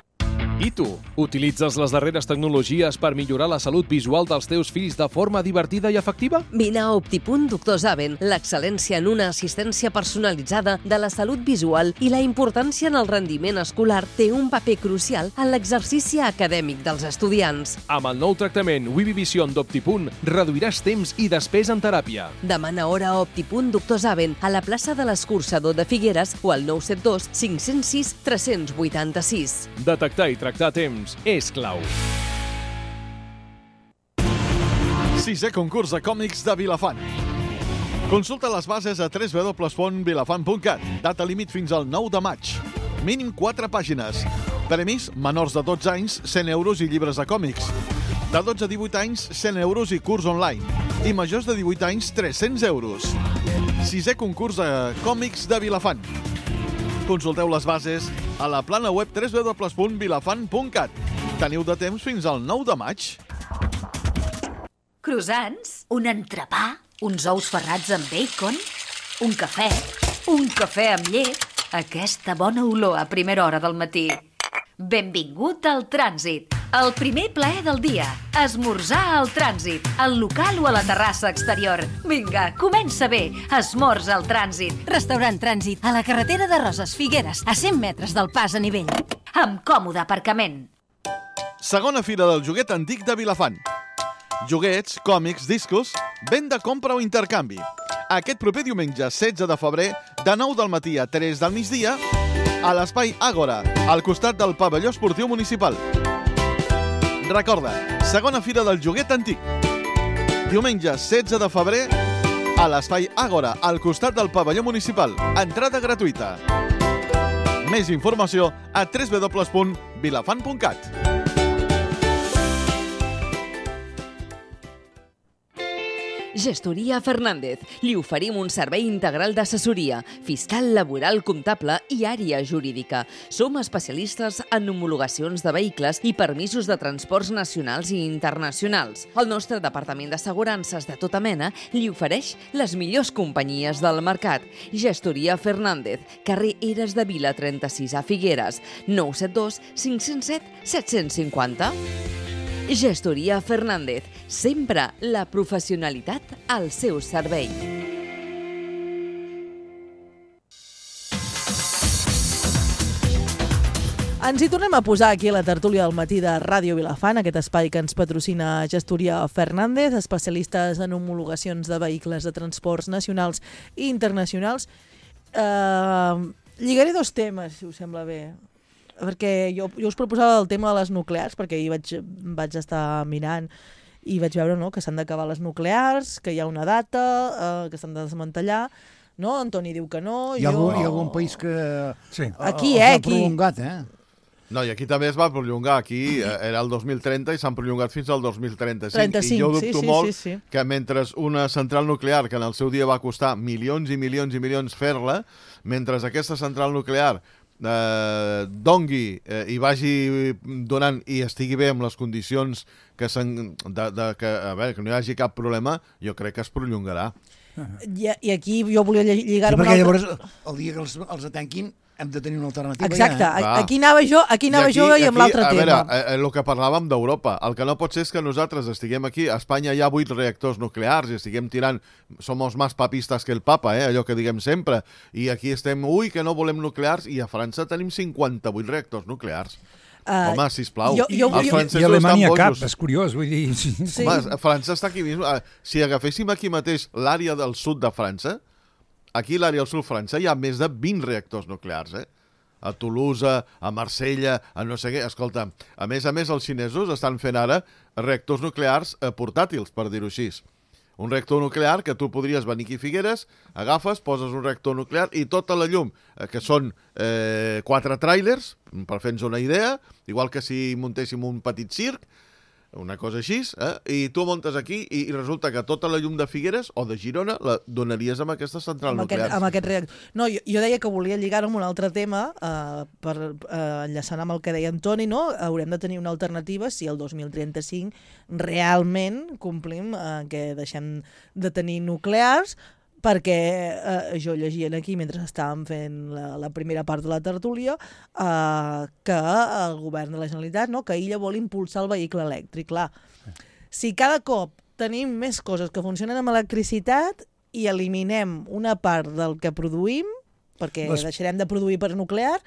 I tu, utilitzes les darreres tecnologies per millorar la salut visual dels teus fills de forma divertida i efectiva? Vine a Optipunt Doctor Zaven, l'excel·lència en una assistència personalitzada de la salut visual i la importància en el rendiment escolar té un paper crucial en l'exercici acadèmic dels estudiants. Amb el nou tractament Wivivision d'Optipunt reduiràs temps i despesa en teràpia. Demana hora a Optipunt Doctor Zaven a la plaça de l'Escurçador de Figueres o al nou set dos cinc zero sis tres vuit sis. Detectar i tractar a temps és clau. Sisè concurs de còmics de Vilafant. Consulta les bases a w w w punt vilafant punt cat. Data límit fins al nou de maig. Mínim quatre pàgines. Premis menors de dotze anys, cent euros i llibres de còmics. De dotze a divuit anys, cent euros i curs online. I majors de divuit anys, tres-cents euros. Sisè concurs de còmics de Vilafant. Consulteu les bases a la plana web w w w punt vilafant punt cat. Teniu de temps fins al nou de maig. Croissants, un entrepà, uns ous ferrats amb bacon, un cafè, un cafè amb llet, aquesta bona olor a primera hora del matí. Benvingut al Trànsit, el primer plaer del dia. Esmorzar al Trànsit, al local o a la terrassa exterior. Vinga, comença bé, esmorza al Trànsit. Restaurant Trànsit, a la carretera de Roses Figueres, a cent metres del pas a nivell. Amb còmode aparcament. Segona fira del joguet antic de Vilafant. Joguets, còmics, discos, venda, compra o intercanvi. Aquest proper diumenge, setze de febrer, de nou del matí a tres del migdia, a l'espai Àgora, al costat del pavelló esportiu municipal. Recorda, segona fira del joguet antic. Diumenge, setze de febrer, a l'espai Àgora, al costat del pavelló municipal. Entrada gratuïta. Més informació a w w w punt vilafant punt cat. Gestoria Fernández. Li oferim un servei integral d'assessoria, fiscal, laboral, comptable i àrea jurídica. Som especialistes en homologacions de vehicles i permisos de transports nacionals i internacionals. El nostre departament d'assegurances de tota mena li ofereix les millors companyies del mercat. Gestoria Fernández, carrer Eres de Vila trenta-sis a Figueres, nou set dos cinc zero set set cinc zero. Gestoria Fernández, sempre la professionalitat al seu servei. Ens hi tornem a posar aquí a la tertúlia del matí de Ràdio Vilafant, aquest espai que ens patrocina Gestoria Fernández, especialistes en homologacions de vehicles de transports nacionals i internacionals. Uh, lligaré dos temes, si us sembla bé, perquè jo, jo us proposava el tema de les nuclears, perquè ahir vaig, vaig estar mirant i vaig veure, no, que s'han d'acabar les nuclears, que hi ha una data, uh, que s'han de desmantellar. No, Antoni diu que no. Hi ha, jo... algun, hi ha algun país que sí. Aquí, eh, ha aquí. prolongat, eh? No, i aquí també es va prolongar. Aquí eh, era el dos mil trenta i s'han prolongat fins al dos mil trenta-cinc. trenta-cinc, I jo dubto sí, sí, molt sí, sí. que mentre una central nuclear, que en el seu dia va costar milions i milions i milions fer-la, mentre aquesta central nuclear eh, dongui eh, i vagi donant i estigui bé amb les condicions que, de, de, que, a veure, que no hi hagi cap problema, jo crec que es prolongarà. I, I aquí jo volia lligar-ho... Sí, perquè llavors, el dia que els, els atenquin, hem de tenir una alternativa. Exacte, ja, eh? aquí anava jo, aquí anava aquí, jo i amb l'altre tema. A veure, el que parlàvem d'Europa, el que no pot ser és que nosaltres estiguem aquí, a Espanya hi ha vuit reactors nuclears i estiguem tirant, somos más papistas que el papa, eh? Allò que diguem sempre, i aquí estem, ui, que no volem nuclears, i a França tenim cinquanta-vuit reactors nuclears. Uh, Home, sisplau, jo, jo, els francesos I Alemanya estan cap, bojos. és curiós, vull dir... Sí. Sí. Home, França està aquí mismo. Si agaféssim aquí mateix l'àrea del sud de França, aquí a l'àrea del sud de França hi ha més de vint reactors nuclears, eh? A Toulouse, a Marsella, a no sé què. Escolta, a més a més, els xinesos estan fent ara reactors nuclears eh, portàtils, per dir-ho així. Un reactor nuclear que tu podries venir aquí a Figueres, agafes, poses un reactor nuclear i tota la llum, eh, que són eh, quatre tràilers, per fer-nos una idea, igual que si muntéssim un petit circ, una cosa així, eh? I tu muntes aquí i, i resulta que tota la llum de Figueres o de Girona la donaries amb aquesta central amb nuclear. Aquest, amb aquest reactor. No, jo, jo deia que volia lligar-ho amb un altre tema, eh, per eh, enllaçant amb el que deia Antoni, no? Haurem de tenir una alternativa si el dos mil trenta-cinc realment complim eh, que deixem de tenir nuclears, perquè eh, jo llegia aquí mentre estàvem fent la, la primera part de la tertúlia eh, que el govern de la Generalitat, no, que ella vol impulsar el vehicle elèctric. Clar, si cada cop tenim més coses que funcionen amb electricitat i eliminem una part del que produïm, perquè Les... deixarem de produir per nuclear,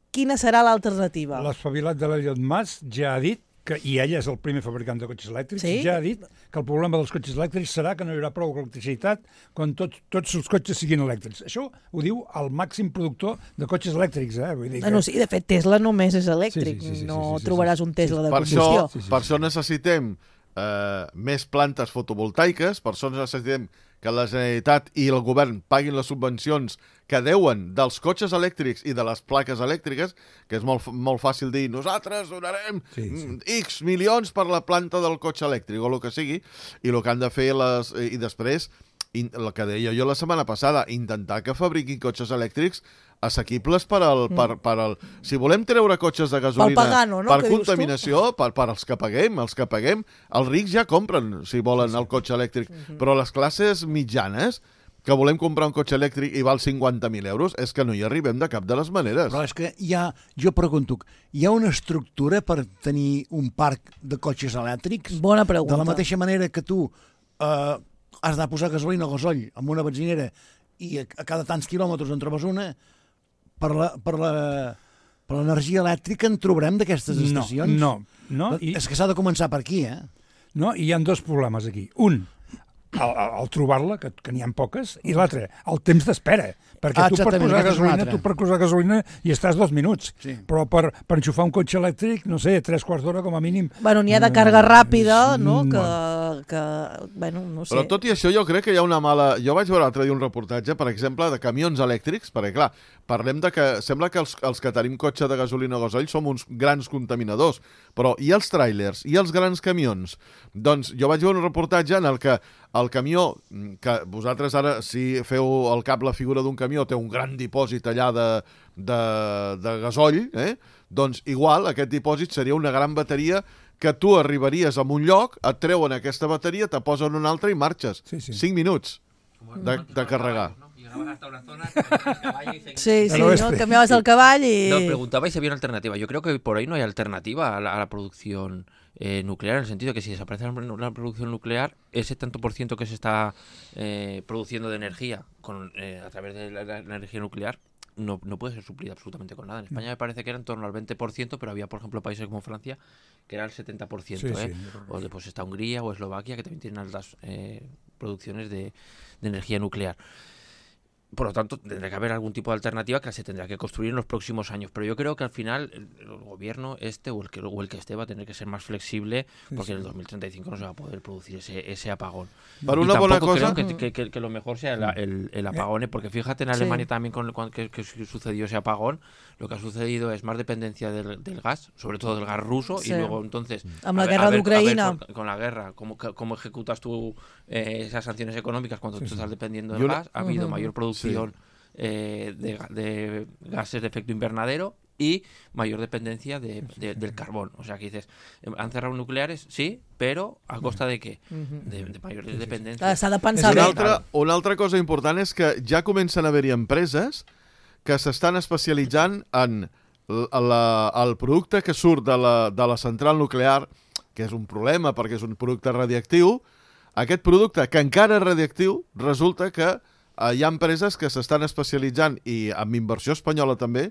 quina serà l'alternativa? L'espavilat de l'Elliot Mas ja ha dit que, i ella és el primer fabricant de cotxes elèctrics, sí? ja ha dit que el problema dels cotxes elèctrics serà que no hi haurà prou electricitat quan tot, tots els cotxes siguin elèctrics. Això ho diu el màxim productor de cotxes elèctrics. Eh? Vull dir que... No, sí, de fet, Tesla només és elèctric. Sí, sí, sí, sí, no sí, sí, sí, trobaràs un Tesla sí, sí. de combustió. Per això, sí, sí, sí. Per això necessitem eh, més plantes fotovoltaiques, per això necessitem que la Generalitat i el govern paguin les subvencions que deuen dels cotxes elèctrics i de les plaques elèctriques, que és molt, molt fàcil dir nosaltres donarem sí, sí. X milions per la planta del cotxe elèctric o el que sigui, i el que han de fer les, i després, el que deia jo la setmana passada, intentar que fabriquin cotxes elèctrics assequibles per al, mm. per, per al... Si volem treure cotxes de gasolina pagano, no? per contaminació, per, per als que paguem, els que paguem, els rics ja compren, si volen, el cotxe elèctric, mm-hmm. però les classes mitjanes que volem comprar un cotxe elèctric i val cinquanta mil euros, és que no hi arribem de cap de les maneres. Però és que hi ha, jo pregunto, hi ha una estructura per tenir un parc de cotxes elèctrics? Bona pregunta. De la mateixa manera que tu eh, has de posar gasolina o gasoll en una benzinera i a, a cada tants quilòmetres en trobes una, per la... Per la per l'energia elèctrica en trobarem d'aquestes estacions? No, no. no i... És que s'ha de començar per aquí, eh? No, i hi ha dos problemes aquí. Un, al, al trobar-la, que, que n'hi ha poques, i l'altre, el temps d'espera. Perquè ah, tu per posar gasolina, tu per posar gasolina hi estàs dos minuts. Sí. Però per, per enxufar un cotxe elèctric, no sé, tres quarts d'hora com a mínim. Bueno, n'hi ha de càrrega ràpida, no? Que, que, bueno, no sé. Però tot i això jo crec que hi ha una mala... Jo vaig veure l'altre dia un reportatge, per exemple, de camions elèctrics, perquè clar, parlem de que sembla que els, els que tenim cotxe de gasolina o gasoll som uns grans contaminadors, però i els tràilers, i els grans camions? Doncs jo vaig veure un reportatge en el que el camió, que vosaltres ara, si feu al cap la figura d'un camió, té un gran dipòsit allà de, de, de gasoll, eh? Doncs igual aquest dipòsit seria una gran bateria que tu arribaries a un lloc, et treuen aquesta bateria, te posen una altra i marxes. Sí, sí. Cinc minuts de, de carregar. Sí, sí, ¿no? Cambiabas el caballo y... No, preguntabais si había una alternativa. Yo creo que por ahí no hay alternativa a la, a la producción eh, nuclear, en el sentido de que si desaparece la producción nuclear, ese tanto por ciento que se está eh, produciendo de energía con, eh, a través de la, la energía nuclear, no, no puede ser suplida absolutamente con nada. En España me parece que era en torno al veinte por ciento, pero había, por ejemplo, países como Francia que era el setenta por ciento. Sí, ¿eh? sí. O después está Hungría o Eslovaquia, que también tienen altas eh, producciones de, de energía nuclear. Por lo tanto, tendrá que haber algún tipo de alternativa que se tendrá que construir en los próximos años. Pero yo creo que al final el, el gobierno este o el, que, o el que esté va a tener que ser más flexible, porque sí, en el dos mil treinta y cinco no se va a poder producir ese, ese apagón. Para y una buena cosa... creo que, que, que, que lo mejor sea el, el, el apagón, ¿eh? Porque fíjate en Alemania sí. también con, con que, que sucedió ese apagón, lo que ha sucedido es más dependencia del, del gas, sobre todo del gas ruso, sí. y luego entonces... Amb la ver, guerra d'Ucraïna. Con, con la guerra, ¿cómo, cómo ejecutas tú eh, esas sanciones económicas cuando sí, tú estás dependiendo del yo gas? Ha uh-huh. habido mayor producción... Sí. Eh, de, de gases de efecto invernadero y mayor dependencia de, de, del carbón. O sea, que dices, ¿han cerrado nucleares? Sí, però a costa de què? De, de mayor dependencia. S'ha de pensar una altra, una altra cosa important és que ja comencen a haver-hi empreses que s'estan especialitzant en la, el producte que surt de la, de la central nuclear, que és un problema perquè és un producte radiactiu. Aquest producte, que encara és radiactiu, resulta que hi ha empreses que s'estan especialitzant, i amb inversió espanyola també,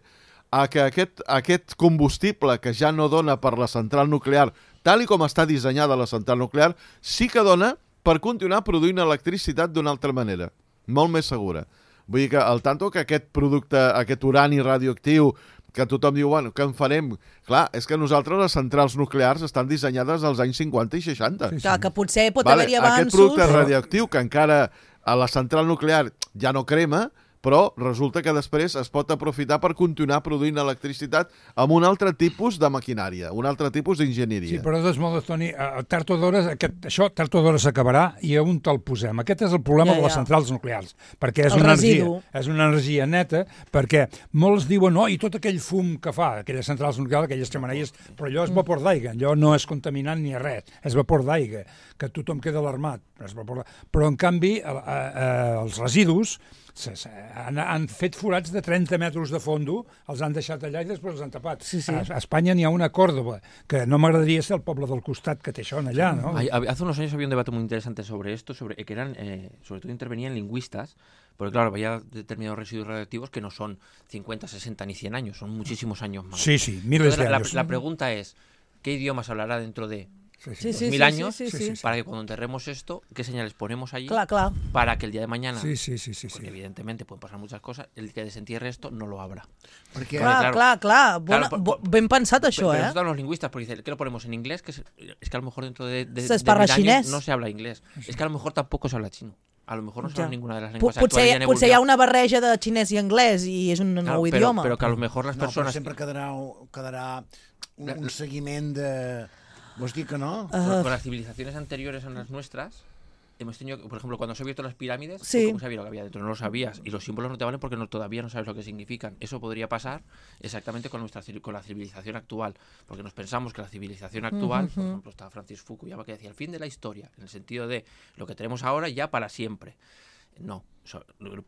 a que aquest, aquest combustible que ja no dona per la central nuclear, tal i com està dissenyada la central nuclear, sí que dona per continuar produint electricitat d'una altra manera, molt més segura. Vull dir que al tanto que aquest producte, aquest urani radioactiu, que tothom diu, bueno, què en farem? Clar, és que nosaltres les centrals nuclears estan dissenyades als anys cinquanta i seixanta. Sí, sí. Clar, que potser pot vale, haver-hi avanços... Aquest producte radioactiu que encara a la central nuclear ja no crema, però resulta que després es pot aprofitar per continuar produint electricitat amb un altre tipus de maquinària, un altre tipus d'enginyeria. Sí, però de modes, Toni, tard o d'hora, això tard o d'hora s'acabarà i a on te'l posem? Aquest és el problema ja, ja. de les centrals nuclears, perquè és una, energia, és una energia neta, perquè molts diuen, no, i tot aquell fum que fa, aquelles centrals nuclears, aquelles xemeneies, però allò és vapor d'aigua, allò no és contaminant ni res, és vapor d'aigua, que tothom queda alarmat. Però, en canvi, eh, eh, els residus Han, han fet forats de trenta metres de fondo, els han deixat allà i després els han tapat. Sí, sí. A, a Espanya n'hi ha una a Córdoba, que no m'agradaria ser el poble del costat que té això allà, ¿no? Hace unos años había un debate muy interesante sobre esto, sobre que eran, eh, sobre todo intervenían lingüistas, porque claro, había determinados residuos radioactivos que no son cincuenta, sesenta ni cien años, son muchísimos años más. Sí, sí, miles Entonces, de la, años. La, la pregunta es, ¿qué idiomas hablará dentro de Sí, sí, sí, mil sí, años sí, sí, sí, sí. para que cuando enterremos esto, qué señales ponemos allí clar, clar. para que el día de mañana, sí, sí, sí, sí, porque sí. evidentemente pueden pasar muchas cosas, el que desentierre esto no lo habrá. Perquè, clar, claro, clar, clar, bona, claro, bo, ben pensat això, pero, eh? Pero están los lingüistas, porque dicen, ¿qué lo ponemos en inglés? Que es, es que a lo mejor dentro de, de, se de mil años no se habla inglés. Sí. Es que a lo mejor tampoco se habla chino. A lo mejor no se habla ja. ninguna de las lenguas Potser, actuales. Ja potser hi ha una barreja de xinès i anglès i és un claro, nou pero, idioma. Però que a lo mejor les no, persones... No, sempre quedarà, quedarà un, un seguiment de... ¿Vos dic que no? Uh, con las civilizaciones anteriores a las nuestras, hemos tenido, por ejemplo, cuando se han abierto las pirámides, sí. ¿cómo sabías lo que había dentro? No lo sabías. Y los símbolos no te valen porque no, todavía no sabes lo que significan. Eso podría pasar exactamente con nuestra con la civilización actual. Porque nos pensamos que la civilización actual, uh-huh. por ejemplo, está Francis Fukuyama que decía el fin de la historia, en el sentido de lo que tenemos ahora ya para siempre. No,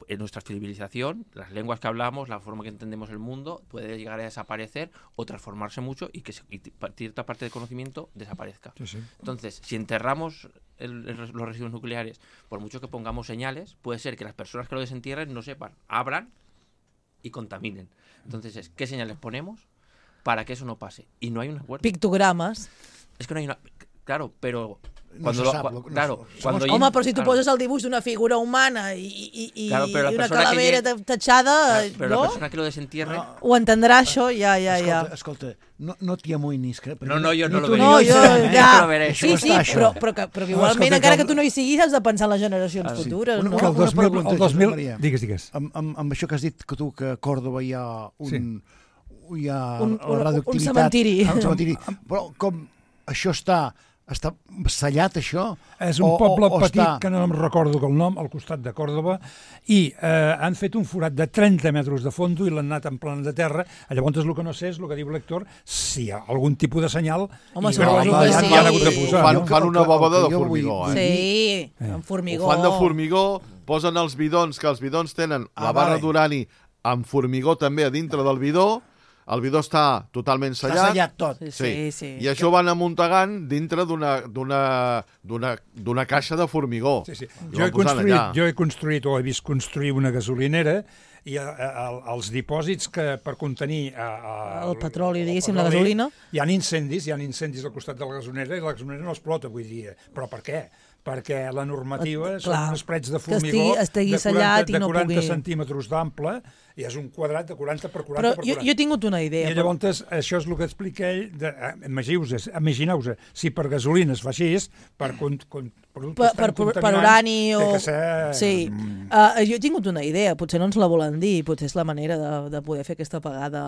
en nuestra civilización, las lenguas que hablamos, la forma que entendemos el mundo, puede llegar a desaparecer o transformarse mucho y que y cierta parte del conocimiento desaparezca. Sí, sí. Entonces, si enterramos el, el, los residuos nucleares, por mucho que pongamos señales, puede ser que las personas que lo desentierren no sepan, abran y contaminen. Entonces, ¿qué señales ponemos para que eso no pase? Y no hay un acuerdo. Pictogrames. Es que no hay una... Claro, pero... No Cuando se lo, sap, cu no, claro, no, cuando Home, però si tu claro. poses el dibuix d'una figura humana i, i, i, claro, i una calavera llegue... tachada, claro, però no? la persona que lo desentierre... No. Ho entendrà, això? Ja, ja, ja. Escolta, escolta no, no t'hi amoïnis. Que... No, no, jo no lo veré. No, jo, eh? ja. no lo veré. Sí, sí, però, però, que, però que igualment, escolta, encara que... que tu no hi siguis, has de pensar en les generacions ah, sí. futures, una, no? Que el dos mil, el dos mil... Maria, Digues, digues. Amb, amb, amb això que has dit que tu, que a Còrdoba hi ha un... Sí. Hi ha un, un, radioactivitat. un cementiri. Un cementiri. Però com això està... Està sellat, això? És un o, poble o, o petit, està... que no em recordo el nom, al costat de Còrdoba, i eh, han fet un forat de trenta metres de fondo i l'han anat en plana de terra. Llavors, el que no sé és el que diu l'Héctor, si hi ha algun tipus de senyal... Home, i veure suposo que ja sí. han hagut de posar. Fan, No? fan una bobada de formigó, eh? Sí, amb formigó. Ho fan de formigó, posen els bidons, que els bidons tenen Ah, la barra vale. d'urani amb formigó també a dintre del bidó, el bidó està totalment sellat. Està sellat tot. Sí, sí, sí. I això van amuntegant dintre d'una d'una caixa de formigó. Sí, sí. I Jo, he van posant construït, allà. jo he construït o he vist construir una gasolinera i a, a, els dipòsits que per contenir a, a, el petroli, diguéssim, el la petroli, gasolina. Hi ha incendis, hi ha incendis al costat de la gasolinera i la gasolinera no explota avui dia. Però per què? Perquè la normativa Clar, són uns prets de formigó estigui, estigui de quaranta, i no de quaranta pugui... centímetres d'ample i és un quadrat de quaranta per quaranta però per quaranta. Jo, jo he tingut una idea. I llavors però... això és el que explica ell. De, imagineu-vos, imagineu si per gasolina es fa així, per, con, con, per, per, per, per urani o... Ser... Sí. Uh, jo he tingut una idea, potser no ens la volen dir, potser és la manera de, de poder fer aquesta pagada,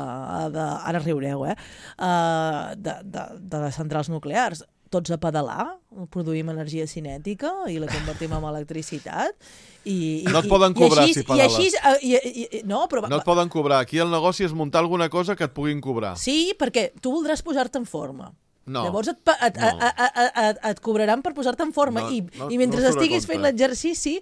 de, ara riureu, eh? Uh, de, de, de les centrals nuclears. Tots a pedalar, produïm energia cinètica i la convertim en electricitat. I, i, no et poden cobrar i així, si pedales. I així, i, i, no, però, no et poden cobrar. Aquí el negoci és muntar alguna cosa que et puguin cobrar. Sí, perquè tu voldràs posar-te en forma. No. Llavors et, et, no. et, et, et, et cobraran per posar-te en forma no, i, no, i mentre no estiguis fent l'exercici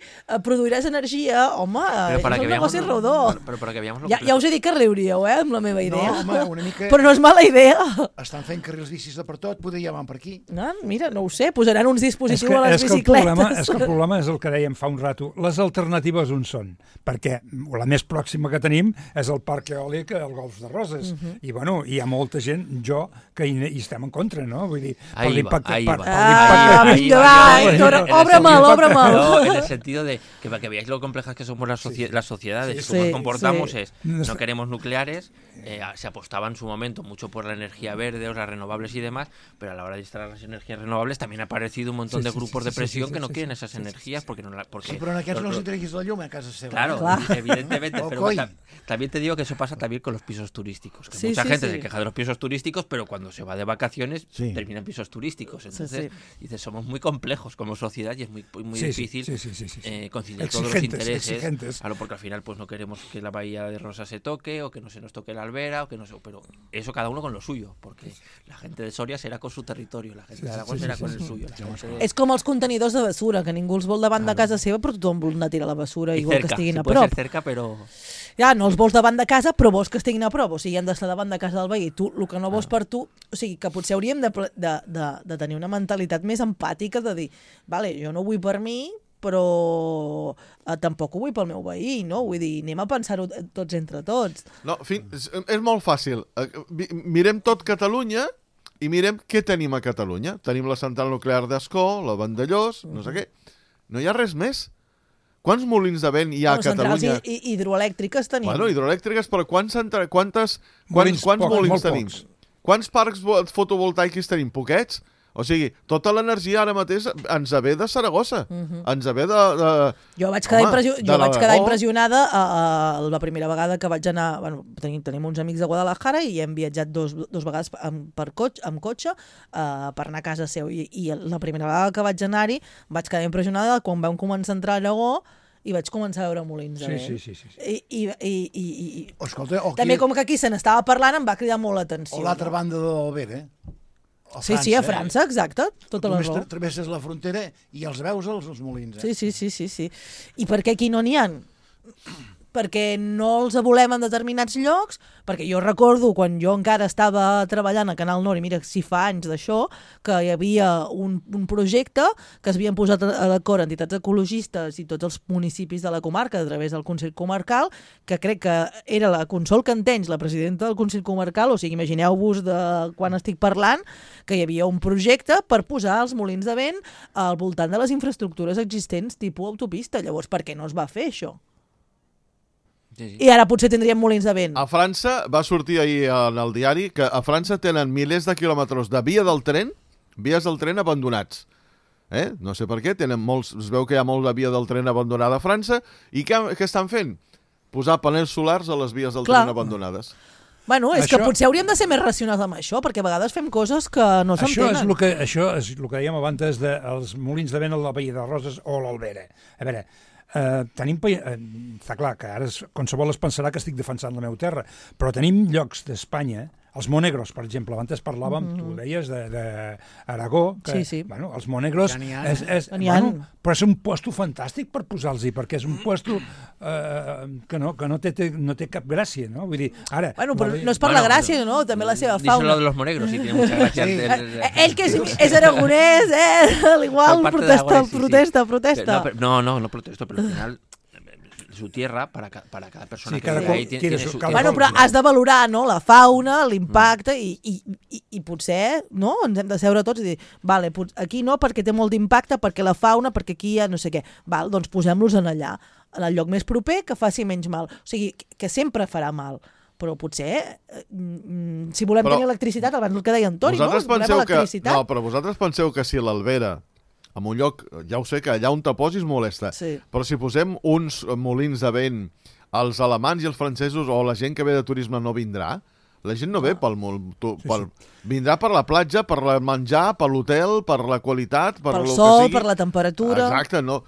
produiràs energia. Home, és un negoci lo, rodó. Però, però que lo ja, ja us he dit que riuríeu, eh, amb la meva idea. No, home, una mica... Però no és mala idea. Estan fent carrils bicis de per tot, poder ja van per aquí. No, mira, no ho sé, posaran uns dispositius que, a les és bicicletes. Que problema, és que el problema és el que dèiem fa un rato. Les alternatives on són? Perquè la més pròxima que tenim és el parc eòlic al Golf de Roses. Uh -huh. I, bueno, hi ha molta gent, jo, que hi, hi estem en contra, no? Vull dir, per l'impacte... Ah, vinga, va, Héctor, obre'm-el, obre'm-el. No, en el sentido de que para que veáis lo complejas que somos las, socie sí. las sociedades, sí, cómo sí, nos comportamos sí. es, no queremos nucleares, eh, se apostaba en su momento mucho por la energía verde o las renovables y demás, pero a la hora de instalar las energías renovables también ha aparecido un montón sí, de grupos sí, sí, de presión sí, sí, que no sí, sí, quieren esas sí, energías porque no la... Porque sí, pero en aquests no els interessa la llum a casa seva. Claro, claro. evidentemente, pero bueno, también te digo que eso pasa también con los pisos turísticos, que sí, mucha sí, gente sí. se queja de los pisos turísticos, pero cuando se va de vacaciones sí. termina en pisos turísticos. Entonces, sí, sí. dices, somos muy complejos como sociedad y es muy, muy sí, difícil sí, sí, sí, sí, sí. Eh, conciliar exigentes, todos los intereses. Exigentes. Claro, porque al final pues no queremos que la bahía de Rosas se toque o que no se nos toque la albera o que no se, pero eso cada uno con lo suyo, porque la gente de Soria será con su territorio, la gente sí, de Aragón sí, será sí, con sí, el sí. suyo. De... És com els contenidors de basura, que ningú els vol davant claro. de casa seva, però tothom vol anar a tirar la basura i, I vol cerca, que estiguin si a prop. Ser cerca, però... Ja, no els vols davant de casa, però vols que estiguin a prop, o sigui, han d'estar davant de casa del veí. Tu, el que no vols per tu, o sigui, que potser hauríem de, de, de, de tenir una mentalitat més empàtica de dir, vale, jo no ho vull per mi, però eh, tampoc ho vull pel meu veí, no? Vull dir, anem a pensar-ho tots entre tots. No, fi, és, és molt fàcil. Mirem tot Catalunya i mirem què tenim a Catalunya. Tenim la central nuclear d'Ascó, la Vandellós, no sé què. No hi ha res més. Quants molins de vent hi ha bueno, a Catalunya? Centrals hi, hidroelèctriques tenim. Bueno, hidroelèctriques, però quants, quantes, molins, quants, quants poc, molins tenim? Pocs. Quants parcs fotovoltaics tenim? Poquets? O sigui, tota l'energia ara mateix ens ve de Saragossa. Uh -huh. Ens ve de... de jo vaig quedar, home, impressió... jo vaig quedar impressionada a, a la primera vegada que vaig anar... Bueno, tenim, tenim uns amics de Guadalajara i hem viatjat dos, dos vegades amb, per cotxe, amb cotxe uh, per anar a casa seu. I, I la primera vegada que vaig anar-hi vaig quedar impressionada quan vam començar a entrar a Aragó i vaig començar a veure molins de vent. Sí, sí, sí, sí. I, i, i, i, i... Escolta, o també com que aquí se n'estava parlant em va cridar molt l'atenció. O l'altra banda de l'Albera, eh? Sí, sí, a França, exacte. Tota la raó. Només travesses la frontera i els veus els, els molins. Eh? Sí, sí, sí, sí, sí. I per què aquí no n'hi ha? Perquè no els volem en determinats llocs, perquè jo recordo quan jo encara estava treballant a Canal Nord, i mira, si fa anys d'això, que hi havia un, un projecte que s'havien posat a l'acord entitats ecologistes i tots els municipis de la comarca a través del Consell Comarcal, que crec que era la Consol Cantenys, la presidenta del Consell Comarcal, o sigui, imagineu-vos de quan estic parlant, que hi havia un projecte per posar els molins de vent al voltant de les infraestructures existents tipus autopista. Llavors, per què no es va fer això? Sí, sí. I ara potser tindríem molins de vent. A França, va sortir ahir en el diari, que a França tenen milers de quilòmetres de via del tren, vies del tren abandonats. Eh? No sé per què, tenen molts, es veu que hi ha molt de via del tren abandonada a França, i què, què estan fent? Posar panells solars a les vies del Clar. tren abandonades. Bueno, és això... que potser hauríem de ser més racionals amb això, perquè a vegades fem coses que no s'entenen. Això és el que, això és el que dèiem abans dels molins de vent a la Bahia de Roses o l'Albera. A veure, Uh, tenim, uh, està clar que ara es, qualsevol es pensarà que estic defensant la meva terra, però tenim llocs d'Espanya, els Monegros, per exemple, abans parlàvem, mm -hmm. tu deies, d'Aragó, que, sí, sí. bueno, els Monegros, ja és, és, bueno, però és un puesto fantàstic per posar-los-hi, perquè és un puesto uh, que, no, que no, té, no té cap gràcia, no? Vull dir, ara... Bueno, però no és per bueno, la gràcia, no? També la seva fauna. Díselo de los Monegros, sí, tiene mucha gràcia. Sí. El, ell que és, és aragonès, eh? Igual, protesta, protesta, sí, protesta. Sí. No, no, no protesto, pero al final... su tierra para, para cada persona Sí, que cada vive qual ahí. Tiene, quiere tiene su- su, cada tiene Bueno, su però cultura. has de valorar, no?, la fauna, l'impacte, i, i, i, i potser, no?, ens hem de seure tots i dir, vale, pot- aquí no perquè té molt d'impacte, perquè la fauna, perquè aquí hi ha no sé què. Val, doncs posem-los en allà, en el lloc més proper, que faci menys mal. O sigui, que- que sempre farà mal. Però potser, eh, mm, si volem Però tenir electricitat, abans el que deia en Toni, no? Vosaltres Volem penseu que... electricitat. No, però vosaltres penseu que si l'Albera, en un lloc, ja ho sé que allà on te posis molesta, Sí. però si posem uns molins de vent, els alemans i els francesos o la gent que ve de turisme no vindrà, la gent no ve pel, mol- tu, Sí, pel vindrà per la platja, per el menjar, per l'hotel, per la qualitat, per Pel lo sol, que sigui. per la temperatura. Exacte, no.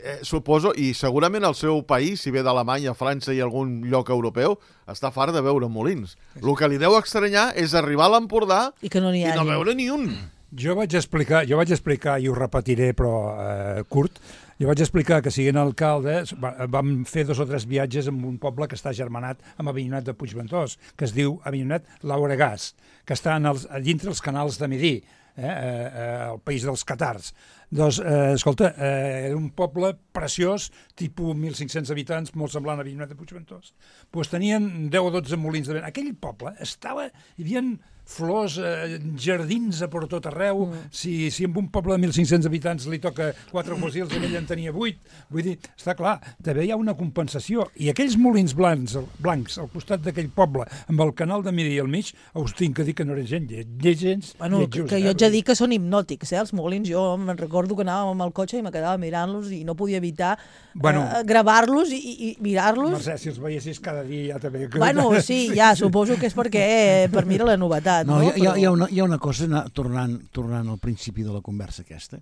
Eh, suposo, i segurament el seu país, si ve d'Alemanya, França i algun lloc europeu, està fart de veure molins. El que li deu estranyar és arribar a l'Empordà I que no n'hi i hagi. no veure ni un. Jo vaig explicar, jo vaig explicar i ho repetiré, però eh, curt, jo vaig explicar que siguent alcalde va- vam fer dos o tres viatges en un poble que està germanat amb Avinyonet de Puigventós, que es diu Avinyonet Lauregàs, que està en els, a dintre els canals de Midí, eh, eh, eh, el país dels catars. Doncs, eh, escolta, eh, era un poble preciós, tipus mil cinc-cents habitants, molt semblant a Avinyonet de Puigventós. Pues tenien deu o dotze molins de vent. Aquell poble estava... Hi havia flors, eh, jardins a per tot arreu. Mm. Si, si en un poble de mil cinc-cents habitants li toca quatre fosils i ell en tenia vuit, vull dir, està clar, també hi ha una compensació. I aquells molins blancs, blancs al costat d'aquell poble, amb el canal de Midi al mig, us tinc que dir que no eren gent lle- lletgens, Bueno, que, lletjos, que eh? jo haig de dir que són hipnòtics, eh, els molins. Jo me'n recordo que anàvem amb el cotxe i me quedava mirant-los i no podia evitar Bueno. eh, gravar-los i, i, i mirar-los. Mercè, si els veiessis cada dia ja també... Bueno, sí, ja, suposo que és perquè eh, per mi era la novetat, no? No, hi, ha, hi, ha, Però- hi, ha una, hi ha una cosa, anar- tornant, tornant al principi de la conversa aquesta,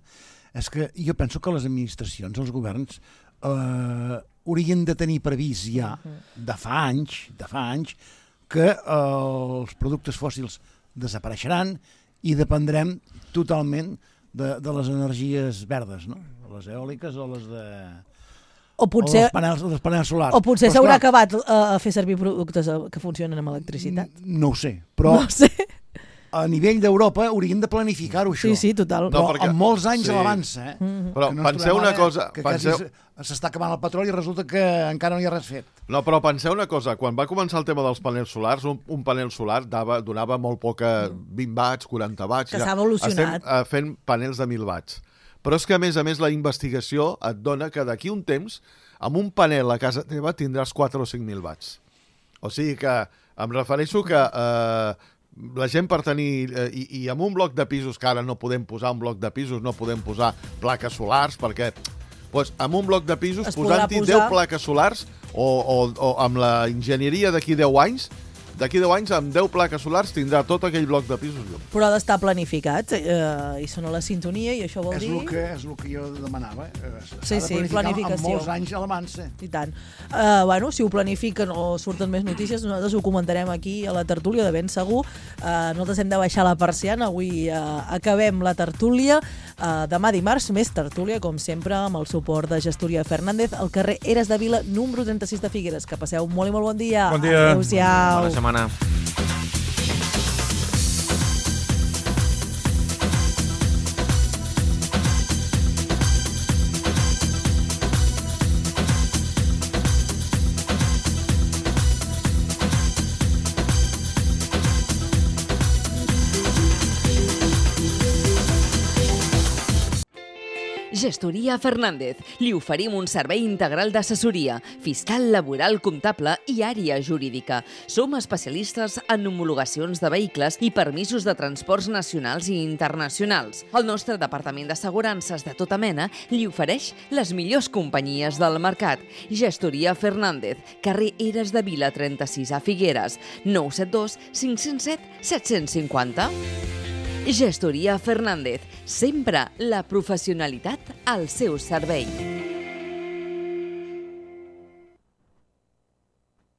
és que jo penso que les administracions, els governs, eh, haurien de tenir previst ja de fa anys, de fa anys, que eh, els productes fòssils desapareixeran i dependrem totalment de, de les energies verdes, no? Les eòliques o les de... O potser, o els panels, els panels solars. o potser Però, s'haurà esclar, acabat eh, a fer servir productes eh, que funcionen amb electricitat. No ho sé, però No ho sé. a nivell d'Europa haurien de planificar-ho, això. Sí, sí, total. Però No, perquè- amb molts anys sí. a l'avança, eh? Però Que no ens penseu trobem una ara cosa, Que penseu- quasi s- s'està acabant el petroli i resulta que encara no hi ha res fet. No, però penseu una cosa, quan va començar el tema dels panels solars, un, un panel solar dava, donava molt poca, vint watts, quaranta watts. Que s'ha evolucionat. Estem uh, fent panels de mil watts. Però és que, a més a més, la investigació et dona que d'aquí un temps, amb un panel a casa teva tindràs quatre o cinc mil watts. O sigui que em refereixo que eh, la gent per tenir... Eh, i, I amb un bloc de pisos, que ara no podem posar un bloc de pisos, no podem posar plaques solars, perquè pues, amb un bloc de pisos, Es podrà posant-hi posar- deu plaques solars, o, o, o amb la enginyeria d'aquí deu anys, d'aquí deu anys, amb deu plaques solars, tindrà tot aquell bloc de pisos llum. Però ha d'estar planificat eh, i sona la sintonia i això vol És dir... el que, és el que jo demanava. eh? S'ha Sí, de sí, planificar planificació. Amb molts anys a l'avança. I tant. Uh, bueno, si ho planifiquen o surten més notícies, nosaltres ho comentarem aquí a la tertúlia de ben segur. Uh, nosaltres hem de baixar la persiana. Avui uh, acabem la tertúlia. Uh, demà dimarts, més tertúlia, com sempre, amb el suport de Gestoria Fernández, al carrer Eres de Vila, número trenta-sis de Figueres. Que passeu molt i molt bon dia. Bon dia. Adéu-siau. Bona setmana. Gestoria Fernández. Li oferim un servei integral d'assessoria, fiscal, laboral, comptable i àrea jurídica. Som especialistes en homologacions de vehicles i permisos de transports nacionals i internacionals. El nostre departament d'assegurances de tota mena li ofereix les millors companyies del mercat. Gestoria Fernández, carrer Eres de Vila trenta-sis a Figueres, nou set dos cinc zero set set cinc zero. Gestoria Fernández, sempre la professionalitat al seu servei.